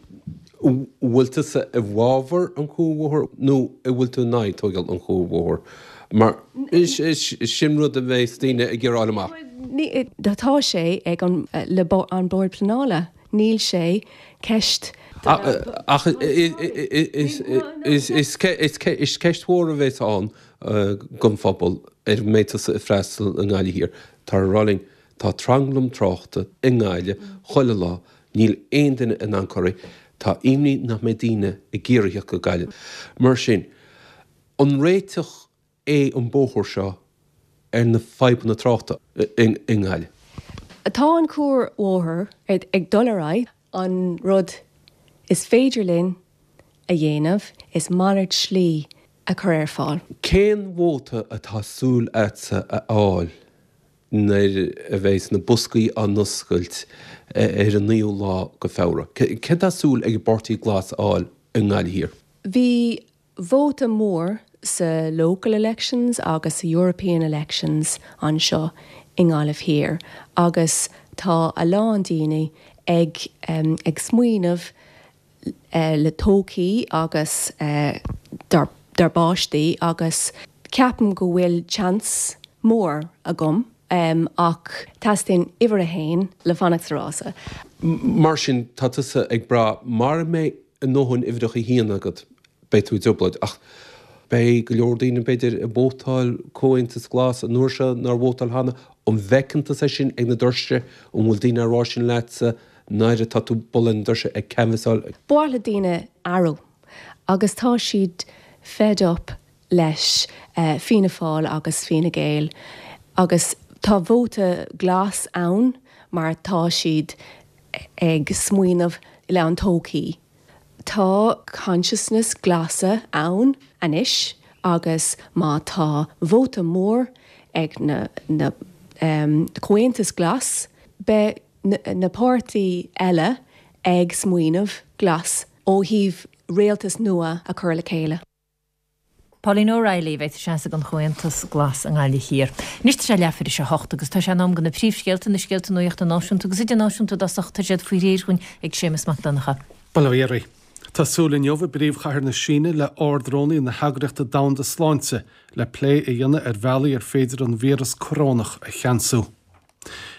an bhfuil tusa i bhfabhar an chuarbhóthair nó an bhfuil tú in aghaidh tógáil an chuarbhóthair? Mar sin rud a bheas daoine ag iarraidh amach. Tá sé ag an le an Bord Pleanála, níl sé ceist Ach is ceist mhór a bheas ann don phobal ar a mbeidh tusa ag freastal i nGaillimh Thiar. Tá rá linn, tá tranglam tráchta i nGaillimh chuile lá, níl aon duine in ann cur Tá imní nach mbeidh daoine ag iarraidh theacht go Gaillimh. Mar sin, an réiteach é an bóthar seo ar na fadhbanna tráchta i nGaillimh? Tá an cuarbhóthar ag dul ar aghaidh, an rud is féidir linn a dhéanamh is malairt slí a chur ar fáil. Cén vóta atá súil agatsa a fháil nuair a bheas na boscaí á n-oscailt ar an naoú lá de Feabhra? Céard tá súil ag an bPáirtí Glas a fháil i nGaillimh Thiar? Bhí vóta mór sa local elections agus sa European elections anseo i nGaillimh Thiar agus tá a lán daoine ag ag smaoineamh le todhchaí agus dár bpáistí agus ceapaim go bhfuil chance mór agam ach teastaíonn uimhir a haon le fanacht sa rása. Mar sin, tá tusa ag brath mara mbeidh a ndóthain uimhreacha a haon agat, beidh tú i dtrioblóid. Ach beidh go leor daoine, b'fhéidir, ag vótáil Comhaontas Glas an uair seo nár vótáil cheana. An bhfeiceann tusa é sin ag na doirse? An bhfuil daoine á rá sin leatsa nuair atá tú ag bualadh na doirse ag canbhasáil? Ba mhaith le daoine athrú agus tá siad fed up leis Fianna Fáil agus Fine Gael agus tá vóta glas ann mar tá siad ag smaoineamh le an todhchaí. Tá consciousness glasa ann anois agus má tá vóta mór ag na na Comhaontas Glas beidh na páirtí eile ag smaoineamh glas ó thaobh rialtas nua a chur le chéile. Pauline O'Reilly, a bheidh ag seasamh don Chomhaontas Glas i nGaillimh Thiar. Anois tá sé leathuair tar éis a hocht agus tá sé in am do na príomhscéalta, na scéalta nuachta náisiúnta agus idirnáisiúnta i dtosach, tá siad faoi réir dhúinn ag Séamus Mac Donncha. Bail ó Dhia oraibh. Tá súil inniu i bpríomhchathair na Síne le Ard-Rúnaí na hEagraíochta Domhanda Sláinte le plé a dhéanamh ar bhealaí ar féidir an víreas corónach a cheansú.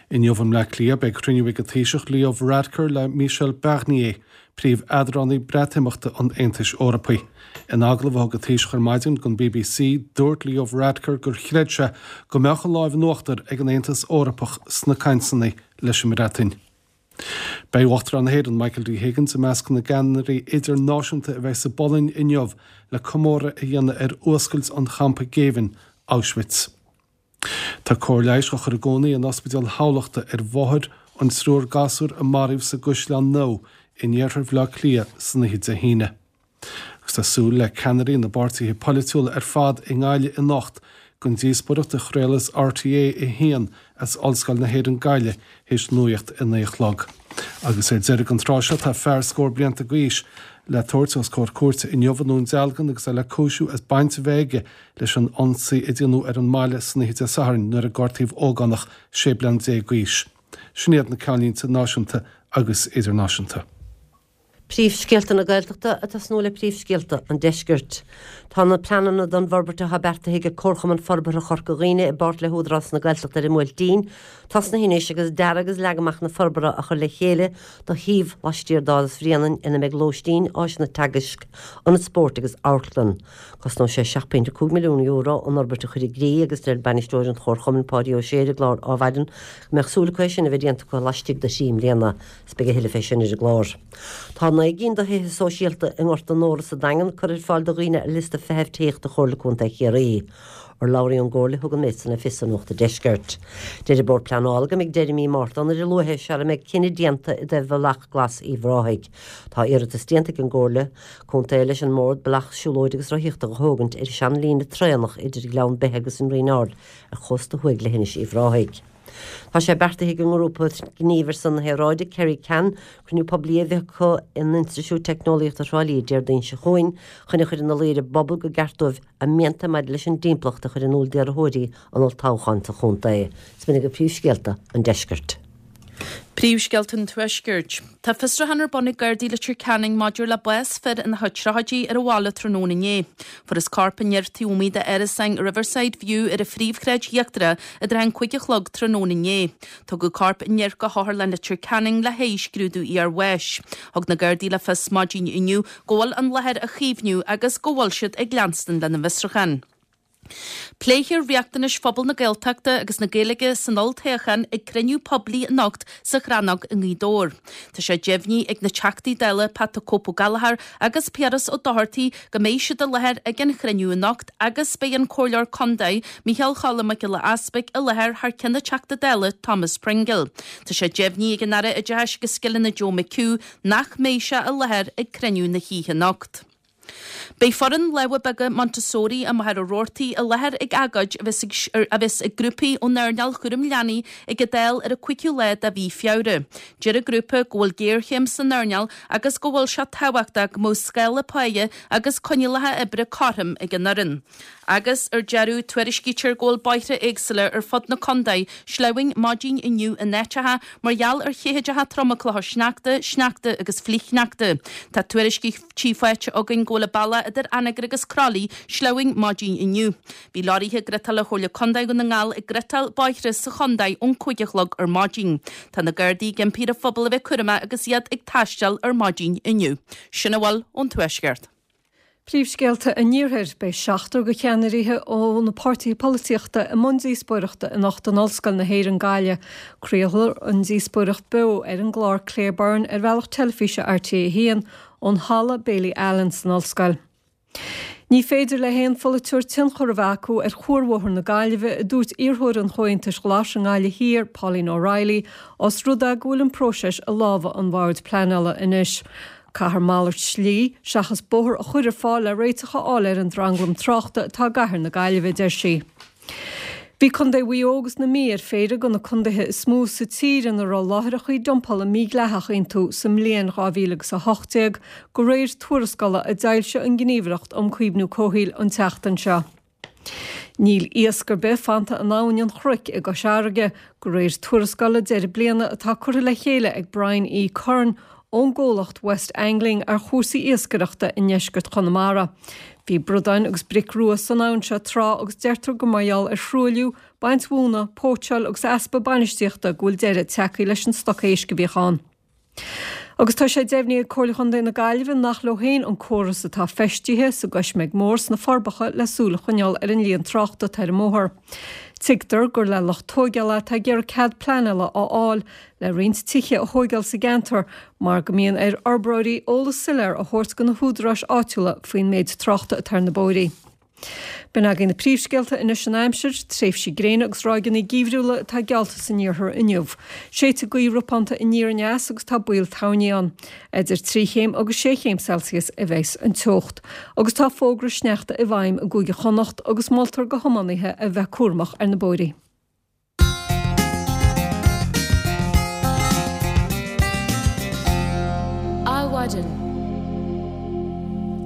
Inniu i mBleá Cliath beidh cruinniú ag an Taoiseach Leo Varadkar le Michel Barnier, príomh-eadránaí Breatimeachta an Aontais Eorpaigh. In agallamh a thug an Taoiseach ar maidin don bbc, dúirt Leo Varadkar gur chreid sé go mbeadh an láimh in uachtar ag an Aontas Eorpach sna cainteanna leis an mBreatain. Beidh Uachtarán na hÉireann Michael D Higgins i measc na gceannairí idirnáisiúnta a bheidh sa bPolainn inniu le comóradh a dhéanamh ar fhuascailt an champa géibhinn Auschwitz. Tá cóir leighis á chur i gcónaí in Ospidéal Thamhlachta ar mháthair an triúr gasúr a maraíodh sa gCaisleán Nua in iarthar Bhaile Átha Cliath san oíche Dé hAoine. Agus tá súil le ceannairí na bpáirtithe polaitiúla ar fad i nGaillimh anocht don díospóireacht a chraolfas RTÉ a haon as Ollscoil na hÉireann Gaillimh théis nuacht a naoi a chlog. Agus ar deireadh an tráth seo tá fear scór blianta d'aois le tabhairt os comhair cúirte inniu i nDún Dealgan agus é le cúisiú as baint a bheith aige leis an ionsaí a déanadh ar an mbaile san oíche Dé Sathairn nuair a gortaíodh ógánach sé bliana déag d'aois. Sin iad na ceannlínte náisiúnta agus idirnáisiúnta. Príomhscéalta na Gaeltachta ag tosnú le príomhscéalta an Deiscirt. Tá na pleananna don bhforbairt atá beartaithe ag Comharchumann Forbartha Chorca Dhuibhne i bpáirt le hÚdarás na Gaeltachta ar an mBuailtín tosnaithe anois agus dearadh agus leagan amach na forbartha á chur le chéile do shuíomh laistiar d'Áras Bhréanainn ina mbeidh lóistín, áiseanna teagaisc, ionad spóirt agus amharclann. Cosnóidh sé seacht bpointe cúig milliún euro an fhorbairt a chur i gcrích agus deir bainisteoir an Chomharchumainn, Páidí Ó Sé ar an gclár Adhmhaidin, go mbeadh súil acu é sin a bheith déanta acu laistigh de thrí mbliana. Is beidh a thuilleadh fé sin ar an gclár. Tá naoi gcinn de thithe sóisialta i nGort an Óra sa Daingean curtha ar fáil do dhaoine ar liosta feithimh tithíochta Chomhairle Contae Chiarraí. Urlabhraí ón gComhairle a thug an méid san le fios do Nuacht an Deiscirt. Deir an Bord Pleanála go mbeidh deireadh mí Márta ann ar a luaithe sara mbeidh cinneadh déanta i dtaobh Bhealach Glas Uíbh Ráthaigh. Tá iarratas déanta ag an gComhairle Contae leis an mBord bealach siúlóide agus rothaíochta a thógaint ar an seanlíne traenach idir Gleann Beithe agus an Rinn Ard ar chósta thuaidh leithinis Uíbh Ráthaigh. Tá sé beartaithe ag an ngrúpa gnímh ar son na haeráide, Kerry Can, cruinniú poiblí a bheith acu in Institiúid Teicneolaíochta Thrá Lí Déardaoin seo chugainn chun a chur ina luí ar an bpobal go gceart dóibh a mianta maidir leis an dtimpeallacht a chur in iúl d'iarrthóirí an olltoghcháin sa chontae. Is b'in agaibh príomhscéalta an deiscirt. Príomhscéalta an Tuaiscirt. Tá fiosrúchán ar bun ag Gardaí Leitir Ceanainn maidir le bás fir ina chuid tríochaidí ar an bhaile tráthnóna inné. Fuarthas corp an fhir taobh amuigh d'árasáin Riverside View ar an Phríomhshráid Íochtarach i dtrátha an cúig a chlog tráthnóna inné. Tugadh corp an fhir go hOtharlann Leitir Ceanainn le haghaidh scrúdú iarbháis. Thug na Gardaí le fios maidin inniu go bhfuil an láthair á caomhnú agus go bhfuil siad ag leanstan lena bhfiosrúchán. Pléifear riachtanais phobal na Gaeltachta agus na Gaeilge san olltoghchán ag cruinniú poiblí anocht sa Chrannóg i nGaoth Dobhair. Tá sé deimhnithe ag na Teachtaí Dála Pat the Cope Ó Gallchóir agus Piaras Ó Dochartaigh go mbeidh siad i láthair ag an chruinniú anocht agus beidh an Comhairleoir Contae Micheál Choilm Mac Giolla Easpaig i láthair thar ceann an Teachta Dála Thomas Pringle. Tá sé deimhnithe ag an Aire Oideachais agus Scileanna Joe McHugh nach mbeidh sé i láthair ag cruinniú na hoíche anocht. Beidh foireann lámha beaga Montessori i Machaire Rabhartaigh i láthair ag agóid a bheas ag grúpaí ón earnáil chúram leanaí ag an Dáil ar an cúigiú lá de mhí Feabhra. Deir an grúpa go bhfuil géarchéim san earnáil agus go bhfuil sé tábhachtach go mbeadh scála páighe agus coinníollacha oibre cothrom ag an fhoireann. Agus ar deireadh, tuairiscítear go bhfuil bóithre éagsúla ar fud na contae sleamhain maidin inniu in áiteacha mar gheall ar chéideacha troma clocha sneachta, sneachta agus flichshneachta. Tá tuairiscí faighte againn go bhfuil an bealach idir Anagaire agus Croithlí sleamhain maidin inniu. Bhí leoraithe ghriotála Chomhairle Contae Dhún na nGall ag griotáil bóithre sa chontae ón cúig a chlog ar maidin. Tá na Gardaí ag impí ar an phobal a bheith cúramach agus iad ag taisteal ar maidin inniu. Sin a bhfuil ón Tuaisceart. Príomhscéalta an Iarthair, Beidh seachtar de cheannairí ó na páirtithe polaitíochta i mbun díospóireachta anocht in Ollscoil na hÉireann, Gaillimh. Craolfar an díospóireacht beo ar an gclár Claire Byrne ar bhealach teilifíse R T A haon ón Halla Bailey Allen san Ollscoil. Ní féidir le haon pholaiteoir tionchar a bheith acu ar chuarbhóthar na Gaillimhe, a dúirt iarrthóir an Chomhaontais Ghlais i nGaillimh Thiar, Pauline O'Reilly, os rud é go bhfuil an próiseas i lámha an Bhoird Pleanála anois. Caithfear malairt slí seachas bóthar a chur ar fáil le réiteach a fháil ar an dtranglam tráchta atá i gcathair na Gaillimhe, a deir sí. Bhí Contae Mhaigh Eo agus na Mí ar phéire de na contaetha is mó sa tír ina raibh láithreacha dumpála mídhleathach iontu sa mbliain dhá mhíle agus a hocht déag, de réir tuarascála a d'fhoilsigh an Ghníomhaireacht um Chaomhnú Comhshaoil an tseachtain seo. Níl iasc ar bith fanta in Abhainn an Chnoic i gCois Fharraige, de réir tuarascála deireadh bliana atá curtha le chéile ag Brian E. Curran ón gcomhlacht West Angling ar chúrsaí iascaireachta i ndeisceart Chonamara. Bhí bradáin agus bric rua san abhainn seo tráth agus deirtear gur mar gheall ar thruailliú, baint mhóna, póitseáil agus easpa bainistíochta go bhfuil deireadh tagtha leis an stoc éisc a bhíodh ann. Agus tá sé deimhnithe ag Comhairle Chontae na Gaillimhe nach leo féin an córas atá feistithe sa gCoisméig Mhór sna Forbacha le súil a choinneáil ar an líon tráchta atá ar an mbóthar. Tuigtear gur le lucht tóigeála atá ag iarraidh cead pleanála a fháil le roinnt tithe a thóigeáil sa gceantar mar go mbíonn ar fhorbróirí eolas soiléir a thabhairt do na húdaráis áitiúla faoin méid tráchta atá ar na bóithrí. B'in againn na príomhscéalta anois an aimsir, tréimhsí gréine agus ráigeanna geimhriúla atá geallta san iarthar inniu. Séidfidh gaoth ropánta aniar aneas agus tá baol toirní ann. Idir trí chéim agus sé chéim Celsius a bheas an teocht. Agus tá fógra sneachta i bhfeidhm i gCúige Chonnacht agus moltar do thiománaithe a bheith cúramach ar na bóithrí. Adhmhaidin.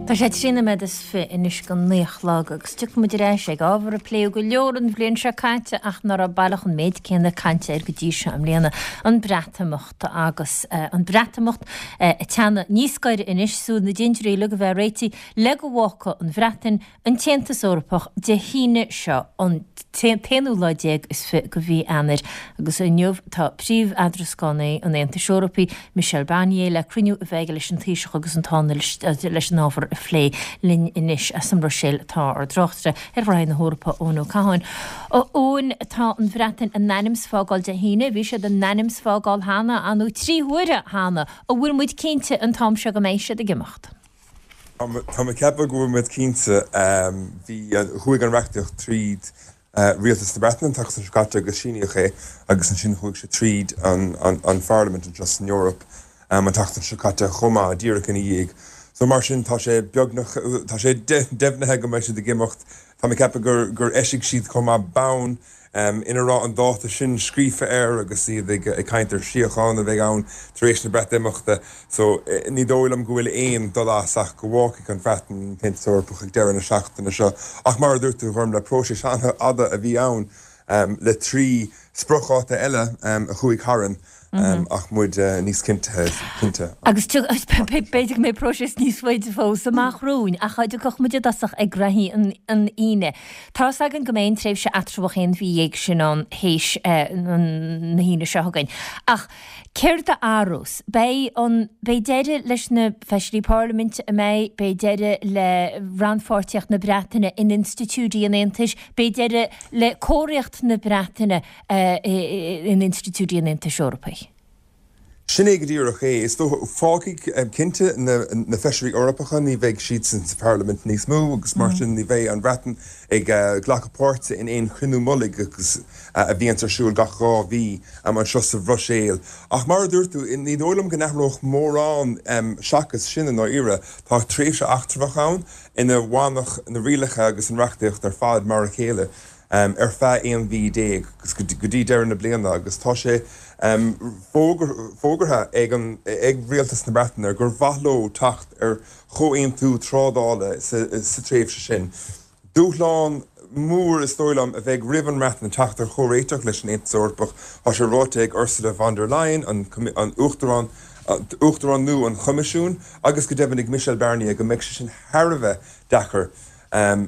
Tá sé trí nóiméad is fiche anois go naoi a chlog agus tiocfaidh muid ar ais ag ábhar a pléadh go leor an bhliain seo caite ach nach raibh baileach an méid céanna cainte air go dtí seo i mbliana, an Breatimeacht. Agus an Breatimeacht ag teannadh níos gaire anois, súil na dtindirí uilig a bheith réitithe le go bhfágfaidh an Bhreatain an tAontas Eorpach Dé hAoine seo, an t-aonú lá déag is fiche de mhí Eanáir, agus inniu tá príomh-eadrascánaí an Aontais Eorpaigh, Michel Barnier, le cruinniú a bheith aige leis an Taoiseach agus an Tánaiste leis an ábhar a phlé. Linn anois as an mBruiséil tá ár dtráchtaire ar ghraithí na hEorpa, Eoin Ó Catháin. A Eoin, tá an Bhreatain in ainm 's fágáil Dé hAoine, bhí siad in ainm 's fágáil cheana, ar ndóigh trí huaire cheana, an bhfuil muid cinnte an t-am seo go mbeidh siad ag imeacht? Tá mé ag ceapadh go bhfuil muid cinnte. Bhí, chuaigh an reachtaíocht tríd Rialtas na Breataine an tseachtain seo caite agus síníodh é agus ansin chuaigh sé tríd an Pharlaimint anseo san Eoraip an tseachtain seo caite chomh maith, díreach ina dhiaidh. So mar sin tá sé beagnach, tá sé deimhnithe go mbeidh siad ag imeacht. Tá mé ag ceapadh gur gur eisigh siad chomh maith bonn ina raibh an dáta sin scríofa air agus iad ag caint ar síocháin a bheidh ann tar éis na Breatimeachta. So, ní dóigh liom go bhfuil aon dul as ach go bhfágfaidh an Bhreatain an tAontas Eorpach ag deireadh na seachtaine seo. Ach mar a dúirt tú, a Ghormfhlaith, próiseas an-fhada a bhí ann le trí spriocdháta eile a chuaigh tharainn. Ach muid níos cinnte, cinnte. Agus b'fhéidir go mbeidh próiseas níos faide fós amach romhainn, ach dá dtiocfadh muid i dtosach ag graithí an Aoine. Tá's againn go mbeidh an tréimhse eatramhach aon mhí dhéag sin ann théis na hAoine seo chugainn. Ach Céard a athrós? Beidh an, beidh deireadh leis na Feisirí Parlaiminte, an mbeidh? Beidh deireadh le rannpháirtíocht na Breataine in institiúidí an Aontais, beidh deireadh le comharthaíocht na Breataine in institiúidí an Aontais Eorpaigh. Sin é go díreach é. Is dócha, fágfaidh cinnte na Feisirí Eorpacha, ní bheidh siadsan sa Pharlaimint níos mó agus mar sin ní bheidh an Bhreatain ag glacadh páirte in aon chruinniú mullaigh agus a bhíonns ar siúl gach dhá mhí anseo sa Bhruiséil. Ach mar a dúirt tú, ní dóigh liom go n-athródh mórán seachas sin i ndáiríre. Tá tréimhse eachtrach ann ina bhfanfadh na rialacha agus an reachtaíocht ar fad mar a chéile ar feadh aon mhí déag agus go dtí deireadh na bliana agus tá sé fógartha ag an ag Rialtas na Breataine gur mhaith leo teacht ar chomhaontú trádála sa tréimhse sin. Dúshlán mór is dóigh liom a bheidh roimh an mBreatain teacht ar chomhréiteach leis an Aontas Eorpach. Tá sé ráite ag Ursula von der Leyen, an Uachtarán Uachtarán nua an Choimisiúin, agus go deimhin ag Michel Barnier go mbeidh sé sin thar a bheith deacair,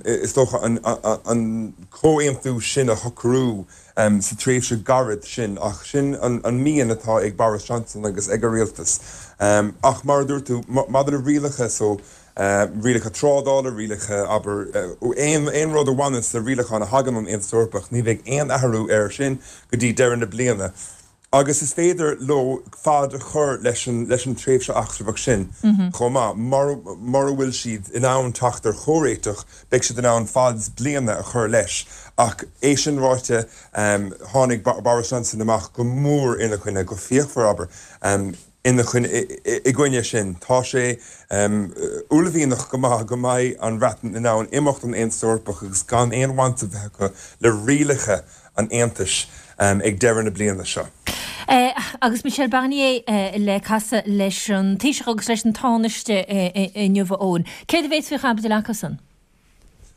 is dócha, an comhaontú sin a shocrú sa tréimhse ghairid sin. Ach sin an mian atá ag Boris Johnson agus ag a rialtas. Ach mar a dúirt tú, maidir le rialacha so, rialacha trádála, rialacha, abair, aon rud a bhaineanns le rialacháin a thagann ón Aontas Eorpach, ní bheidh aon athrú air sin go dtí deireadh na bliana. Agus is féidir leo fad a chur leis an leis an tréimhse eachtrach sin chomh maith. Mura bhfuil siad in ann teacht ar chomhréiteach, beidh siad in ann fad bliana a chur leis. Ach é sin ráite, tháinig Boris Johnson amach go mór ina choinne, go fíochmhar, abair, ina choinne, i gcoinne sin. Tá sé uaillmhianach go maith go mbeidh an Bhreatain in ann imeacht ón Aontas Eorpach agus gan aon bhaint a bheith acu le rialacha an Aontais ag deireadh na bliana seo. Agus Michel Barnier le casadh leis an Taoiseach agus leis an Tánaiste inniu, a Eoin. Céard a bheas faoi chaibidil acusan?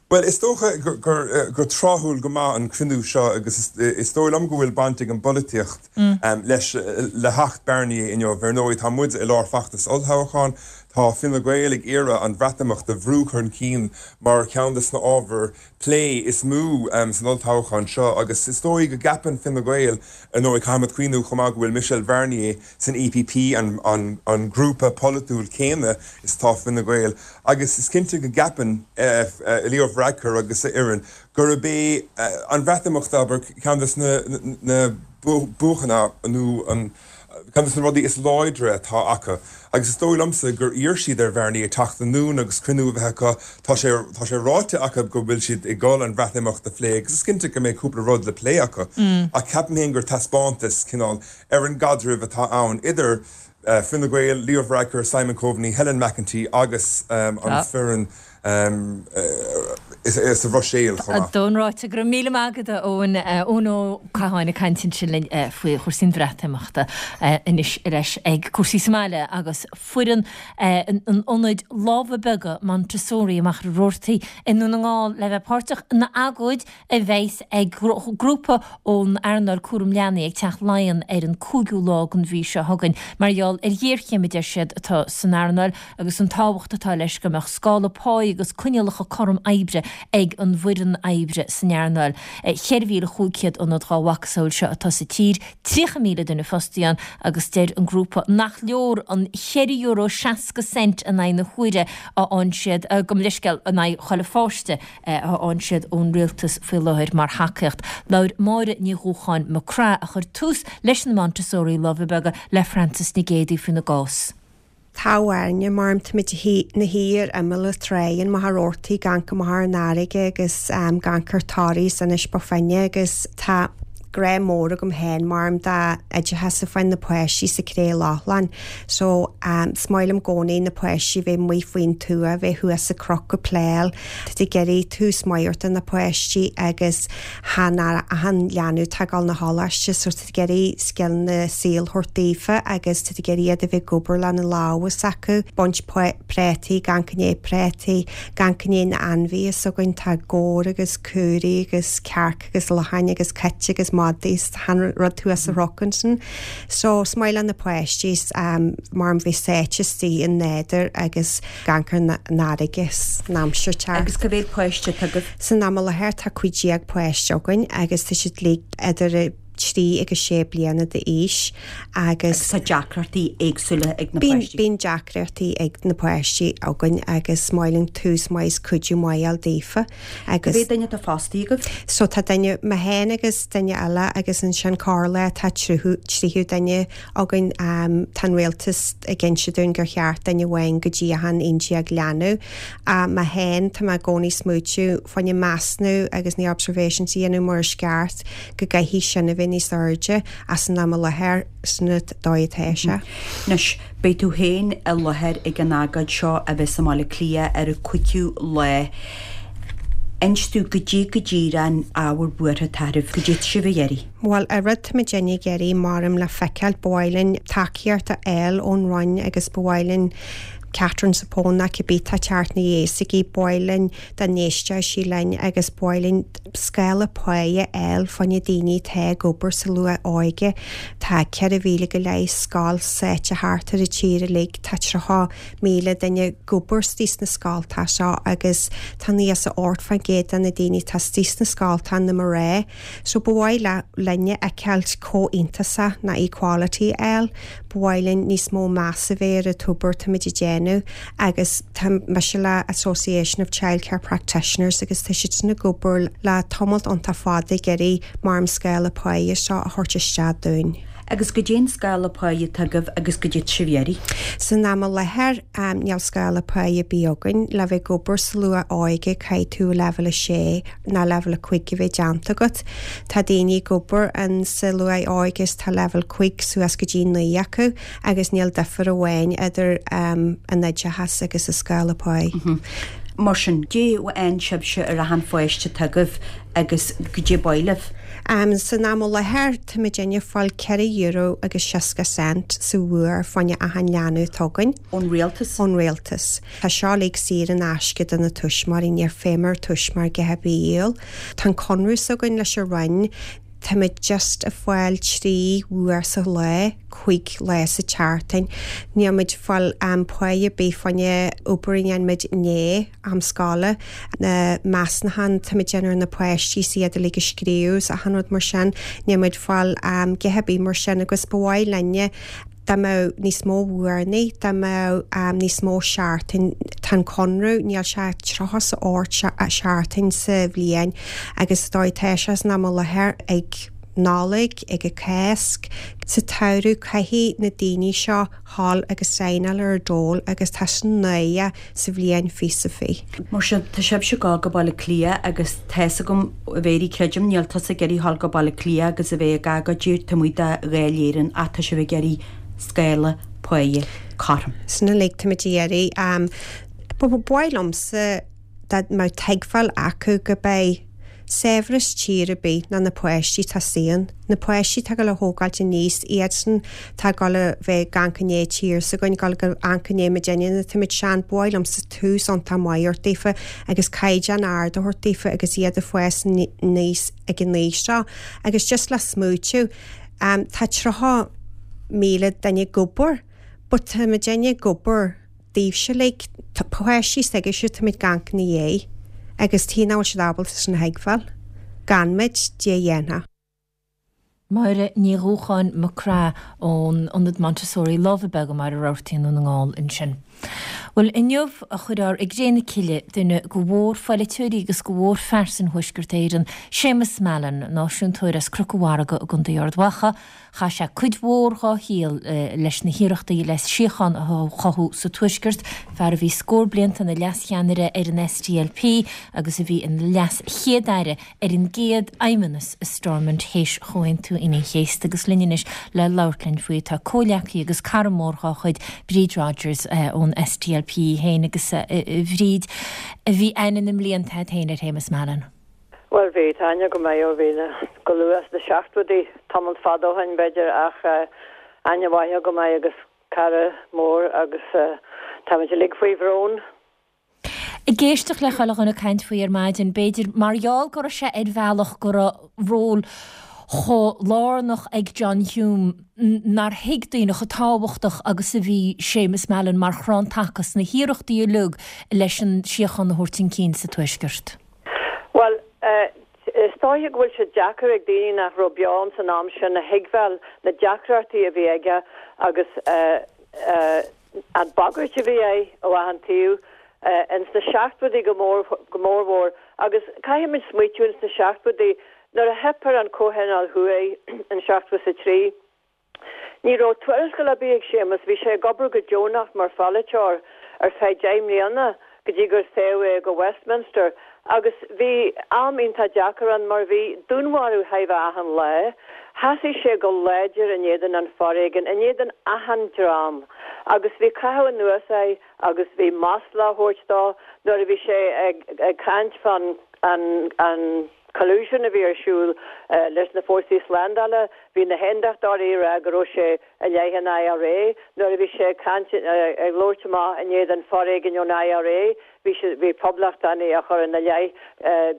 Bhuel, is dócha gur tráthúil go maith an cruinniú seo agus is dóigh liom go bhfuil baint ag an bpolaitíocht leis le theacht Barnier inniu. Ar ndóigh, tá muid i lár feachtas olltoghcháin, tá Fine Gael ag iarraidh an Bhreatimeacht a bhrú chun cinn mar cheann de na ábhair plé is mó san olltoghchán seo agus is dóigh go gceapann Fine Gael, ar ndóigh caithfimid cuimhniú chomh maith go bhfuil Michel Barnier san E P P, an grúpa polaitiúil céanna is atá Fine Gael, agus is cinnte go gceapann Leo Varadkar agus a fhoireann gurb é an Bhreatimeacht, abair, ceann de na buachanna nó an ceann de na rudaí is láidre atá acu. Agus is dóigh liomsa gur iarr siad ar Bharnier teacht anonn agus cruinniú a bheith acu. Tá sé tá sé ráite acu go bhfuil siad ag dul an Bhreatimeacht a phlé agus is cinnte go mbeidh cúpla rud le plé acu. Ach ceapaim féin gur taispeántas cineál ar an gcaidreamh atá ann idir Fine Gael, Leo Varadkar, Simon Coveney, Helen McEntee agus an foireann sa Bhruiséil chomh maith. Don ráite go raibh míle maith agat, a Eoin. Eoin Ó Catháin ag caint ansin linn faoi chúrsaí an Bhreatimeachta. Anois ar ais ag cúrsaí sa mbaile agus foireann an ionaid Lámha Beaga Montessori i Machaire Rabhartaigh i nDún na nGall le bheith páirteach ina agóid a bheas ag grúpa ón earnáil cúram leanaí ag Teach Laighean ar an cúigiú lá den mhí seo chugainn mar gheall ar ghéarchéim a deir siad atá san earnáil agus an tábhacht atá leis go mbeadh scála páí agus coinníollacha cothrom oibre ag an bhfoireann oibre san earnáil. Ceithre mhíle chúig chéad ionad dá mhacasamhail seo atá sa tír, tríocha míle duine fostaithe ann agus deir an grúpa nach leor an cheithre euro seasca cent in aghaidh na huaire a fhaigheann siad, gabh mo leithscéal, in aghaidh chuile pháiste a fhaigheann siad ón rialtas faoi láthair mar thacaíocht. Labhair Máire Ní Dhúcháin McCraith, a chuir tús leis na Montessori Lámha Beaga, le Frances Nic Géadaigh faoina gcás. Tá Áine, mar táimid 'na shuí ar imeall na trá in Machaire Rabhartaigh ag amharc amach ar an fharraige agus ag amharc ar Toraigh is Inis Bó Finne agus tá grá mór agam féin mar d'oideachas a fáin na páistí sa Cré Lochlann. So is maith liom i gcónaí na páistí bheith amuigh faoin tuath, bheith thuas sa chnoc ag playáil. Tá tú ag iarraidh tús maith a thabhairt do na páistí agus chan achan leanbh atá ag dul 'na choláiste so tá tú ag iarraidh scileanna saoil a thabhairt daofa agus tá tú ag iarraidh iad a bheith ag obair lena lámha s'acu, baint préataí, ag amharc i ndiaidh préataí, ag amharc i ndiaidh na ainmhithe s'againn, tá gabhair agus caoirigh agus cearca agus lachain agus cait agus madaí is achan rud thuas sa chnoc ansin. So is maith le na páistí mar bheith sáite istigh i nádúr agus ag amharc ar an fharraige san aimsir tearc. Agus cá mhéad páiste atá agaibh? San am i láthair tá cúig déag páiste againn agus tá siad uilig idir trí agus sé bliana d'aois agus tá deacrachtaí éagsúla ag na páistí. Bíonn deacrachtaí ag na páistí againn agus maith linn tús maith is cuidiú maith a fháil daofa agus. Cé mhéad duine atá fostaithe agaibh? So tá duine, mé féin agus duine eile agus ansin corrlá tá tríú tríú duine againn tá an rialtas ag inse dúinn gur cheart duine amháin go dtí achan aon déag leanbh. Mé féin tá mé i gcónaí smaoitiú fá choinne measúnú agus na observations a dhéanamh mar is ceart go gcaithfidh sin a bheith níos airde as an am i láthair san dóigh atá sé. Anois, beidh tú féin i láthair ag an agóid seo a bheas i mBaile Átha Cliath ar an cúigiú lá. Inis dúinn goidé go díreach an ábhar buartha atá oraibh, goidé atá sibh ag iarraidh. Bhuel, an rud tá muidinne ag iarraidh maram le feiceáil, ba mhaith linn tacaíocht a fháil ón Roinn agus ba mhaith linn Catherine Zappone nó cibé tá ag teacht ina dhiaidh s'aici, ba mhaith linn dá n-éisteodh sí linn agus ba mhaith linn scála páighe a fháil fá choinne daoine atá ag obair sa luath-óige. Tá ceithre mhíle go leith scoil suite thart ar an tír uilig, tá tríocha míle duine ag obair istigh sna scoltacha seo agus tá níos a ocht faoin gcéad de na daoine atá istigh sna scoltacha na mná. So ba mhaith linne a fheiceáilt comhionannas ná equality a fháil. Ba mhaith linn níos mó meas a bheith ar an obair táimid ag déanamh agus tá mise le Association of Childcare Practitioners agus tá siadsan ag obair le tamalt iontach fada ag iarraidh mar an scála páighe seo a thabhairt isteach dúinn. Agus goidé an scála páighe atá agaibh agus goidé atá sibh a iarraidh. San am i láthair níl scála páighe ar bith againn. Le bheith ag obair sa luath óige caithfidh tú leibhéal a sé ná leibhéal a cúig a bheith déanta agat. Tá daoine ag obair in sa luath óige is tá leibhéal cúig suas go dtí naoi acu agus níl difear amháin idir an oideachas agus an scála páighe. Mar sin, goidé a fhaigheann sibhse ar achan pháiste atá agaibh agus goidé ba mhaith libh. San am i láthair, tá muidinne ag fáil ceithre euro agus seasca cent sa uair fá choinne achan leanbh atá againn. Ón rialtas? Ón rialtas. Tá seo uilig saor in aisce do na tuismitheoirí, níor féidir tuismitheoir a dhath ar bith a dhíol. Tá an conradh s'againn leis an Roinn, tá muid just ag fáil trí uair sa lá, cúig lá sa tseachtain. Níl muid ag fáil páighe ar bith fá choinne obair a dhéanann muid i ndiaidh am scoile. Na measúnucháin tá muid ag déanamh ar na páistí is iad uilig a scríobh is achan rud mar sin. Níl muid ag fáil a dhath ar bith mar sin agus ba mhaith linne dá mbeadh níos mó uaireanna, dá mbeadh níos mó seachtain, tá an conradh, níl sé tríocha is a hocht seachtain sa bhliain agus is dóigh tá sé san am i láthair ag Nollaig, ag an Cásc, sa tsamhradh caithfidh na daoine seo dhul agus saighneáil ar an dól agus tá sin náireach sa bhliain fiche is fiche. Mar sin, tá sibhse ag gabháil go Baile Átha Cliath agus tá's agam, a Mhéirí, creidim, níl tusa ag iarraidh dhul go Baile Átha Cliath agus a bheith ag agóid taobh amuigh de Dháil Éireann ach tá sibh ag iarraidh scála páighe cothrom. Sin uilig táimid ag iarraidh. Ba mhaith liomsa dá mbeadh tuigbheáil acu go beidh saibhreas tír ar bith ná na páistí atá istigh ann. Na páistí atá ag dul a thógáilt aníos, iadsan atá ag dul a bheith ag amharc i ndiaidh tír s'againn, ag dul ag amharc i ndiaidh muidinne nuair atá muid sean. Ba mhaith liomsa tús iontach maith a thabhairt daofa agus caighdeán ard a thabhairt daofa agus iad ag fás aníos ag an aois seo. Agus just le smaoitiú, tá tríocha míle duine ag obair, but tá muidinne ag obair daoibhse uilig, tá páistí s'agaibhse táimid ag amharc ina dhiaidh agus tuige nach bhfuil siad ábalta sin a thuigbheáil? Gan muid, Dia a dhéanfadh. Máire Ní Dhúcháin McCraith ón Ionad Montessori Lámha Beaga i mBaile Rabhartaigh i nDún na nGall ansin. Bhuel, inniu a chuirfear i gcré na cille duine de mhórpholaiteoirí agus de mhórphearsain Thuaisceart Éireann, Séamus Mallon, náisiúntóir as Cnoc an Mhargaidh i gContae Ard Mhacha, Chaith sé cuid mhór dhá shaol leis na hiarrachtaí le síocháin a chothú sa Tuaisceart, fear a bhí scór blianta ina leas-cheannaire ar an SDLP agus a bhí ina leas-chéad-aire ar an gcéad fheidhmeannas i Stormont théis Chomhaontú Aoine an Chéasta agus linn anois le labhairt linn faoi tá comhghleacaí agus cara mór dhá chuid, Bríd Rodgers ón SDLP í féin agus a Bhríd, bhí aithne na mblianta agat féin ar Shéamus Mallon. Bhuel, bhí, tá aithne go maith ó bhí na, go luath sna seachtóidí, tamall fada ó shin b'fhéidir, ach aithne mhaith agam air agus cara mór agus táimid uilig faoi bhrón. Ag éisteacht le chuile dhuine ag caint faoi ar maidin, b'fhéidir, mar gheall go raibh sé ar bhealach go raibh ról chomh lárnach ag John Hume nár thuig daoine chomh tábhachtach agus a bhí Séamus Mallon mar chrann taca sna hiarrachtaí uilig leis an síocháin a thabhairt chun cinn sa Tuaisceart. Bhuel, is dóigh dóiche go bhfuil sé deacair ag daoine nach raibh beo ins an am sin a thuigbheáil na deacrachtaí a bhí aige agus an bhagairt a bhí air ó achan taobh ins na seachtóidí go mór go mórmhór agus caithfimid smaoitiú ins na seachtóidí nuair a theip ar an Comhthionól Thuaidh in seachtó is a trí. Ní raibh tuarastal ar bith ag Séamus, bhí sé ag obair go deonach mar pholaiteoir ar feadh deich mbliana go dtí gur toghadh é go Westminster agus bhí am iontach deacair ann mar bhí dúnmharú chóir a bheith achan lá. Sheasaigh sé go láidir in éadan an foréigin, in éadan achan dream agus bhí caitheamh anuas air agus bhí masla á thabhairt dó nuair a bhí sé ag ag caint fán an an collusion a bhí ar siúl leis na fórsaí slándála, bhí na hAondachtóirí ag rá go raibh sé i leith an IRA. Nuair a bhí sé ag caint, ag labhairt amach in éadan foréigin ón IRA, bhí sé, bhí poblachtánaigh á chur ina leith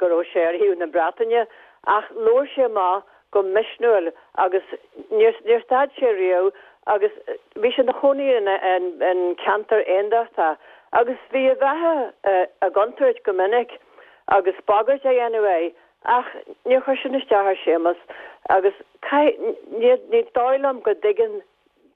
go raibh sé ar thaobh na Breataine. Ach labhair sé amach go misniúil agus níor, níor stad sé riamh agus bhí sé ina chónaí in, in, in ceantar aondachtach agus bhí a bheatha i gcontúirt go minic. agus bagairt á dhéanamh air, ach níor chuir sin isteach ar Séamus agus ní dóigh liom go dtuigeann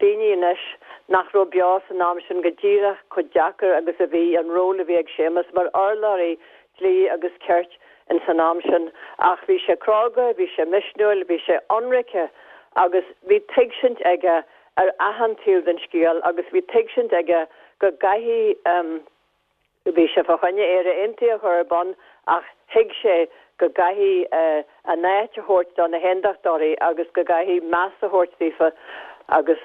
daoine anois nach raibh beo san am sin go díreach chomh deacair agus a bhí an ról a bhí ag Séamus mar urlabhraí dlí agus cirt ins an am sin. Ach bhí sé cróga, bhí sé misniúil, bhí sé ionraice agus bhí tuigsint aige ar achan taobh den scéal agus bhí tuigsint aige go gcaithfidh Bhí sé fá choinne Éire Aontaithe a chur ar bun ach thuig sé go gcaithfidh a n-áit a thabhairt do na hAondachtóirí agus go gcaithfidh meas a thabhairt daofa agus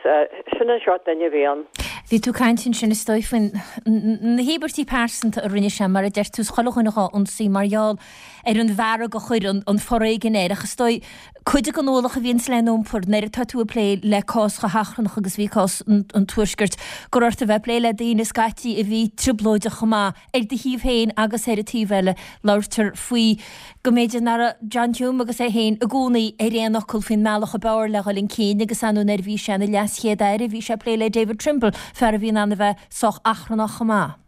sin an seort duine a bhí ann. Bhí tú ag caint ansin is dóigh faoi na híobairtí pearsanta a rinne sé, mar a deir tú, is chuile dhuine dhá ionsaí mar gheall ar an bhfearg a chuir an foréigean air ach is dóigh cuid den ualach a bhíonns le n-iompar nuair atá tú ag plé le cás chomh hachrannach agus bhí cás an Tuaiscirt, gur ort a bheith ag plé le daoine scaití a bhí trioblóideach chomh maith ar do thaobh féin agus ar an taobh eile. Labhartar faoi go mb'fhéidir nach raibh John Hume agus é féin i gcónaí ar aon fhocal faoin mbealach ab fhearr le dhul chun cinn agus ar ndóigh nuair a bhí sé ina LeasChéad-Aire bhí sé ag plé le David Trimble, fear a bhí in ann a bheith sách achrannach chomh maith.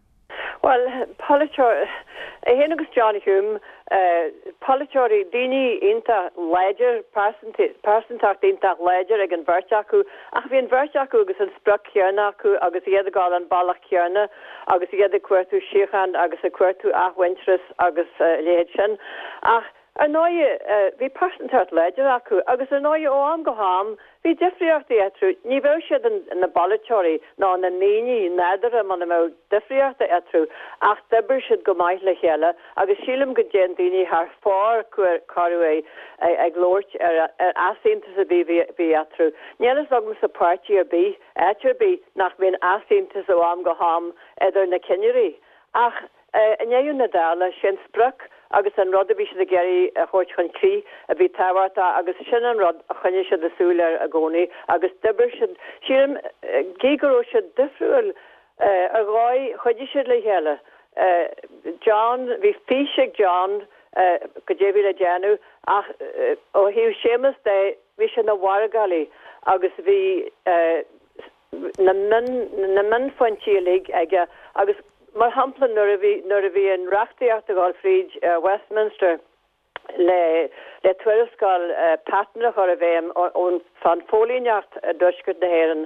Bhuel, polaiteoir, é féin agus John Hume, polaiteoirí, daoine iontach láidir, pearsantacht iontach láidir ag an bheirt acu, ach bhí an bheirt acu agus an sprioc chéanna acu agus iad ag dul an bealach céanna agus iad ag cuartú síocháin agus ag cuartú athmhuintearas agus a leithéid sin. Ach Ar ndóigh, bhí pearsantacht láidir acu agus ar ndóigh ó am go ham bhí difríochtaí eatarthu. Ní bheadh siad ina bpolaiteoirí ná ina ndaoine nádúrtha muna mbeadh difríochtaí eatarthu ach d'oibrigh siad go maith le chéile agus sílim go dtéann daoine thar fóir corruair ag labhairt ar an easaontas a bhí bhí eatarthu. Níl fhios agamsa páirtí ar bith, áit ar bith, nach mbíonn easaontas ó am go ham idir na cinnirí. Ach i ndeireadh na dála, sé an sprioc agus an rud a bhí siad ag iarraidh a thabhairt chun crích a bhí tábhachtach agus sin an rud a choinnigh siad a súil air i gcónaí agus d'oibrigh siad, sílim, gí go raibh siad difriúil ar dhóigh, chuidigh siad le chéile. John, bhí fís ag John goidé a bhí le déanamh ach ó thaobh Séamus de, bhí sé ina mhargálaí agus bhí na na mionphointí uilig aige agus mar shampla nuair a bhí nuair a bhí an reachtaíocht ag dul fríd Westminster le le tuarascáil Patten a chur i bhfeidhm ón fán phóilíneacht i dtuaisceart na hÉireann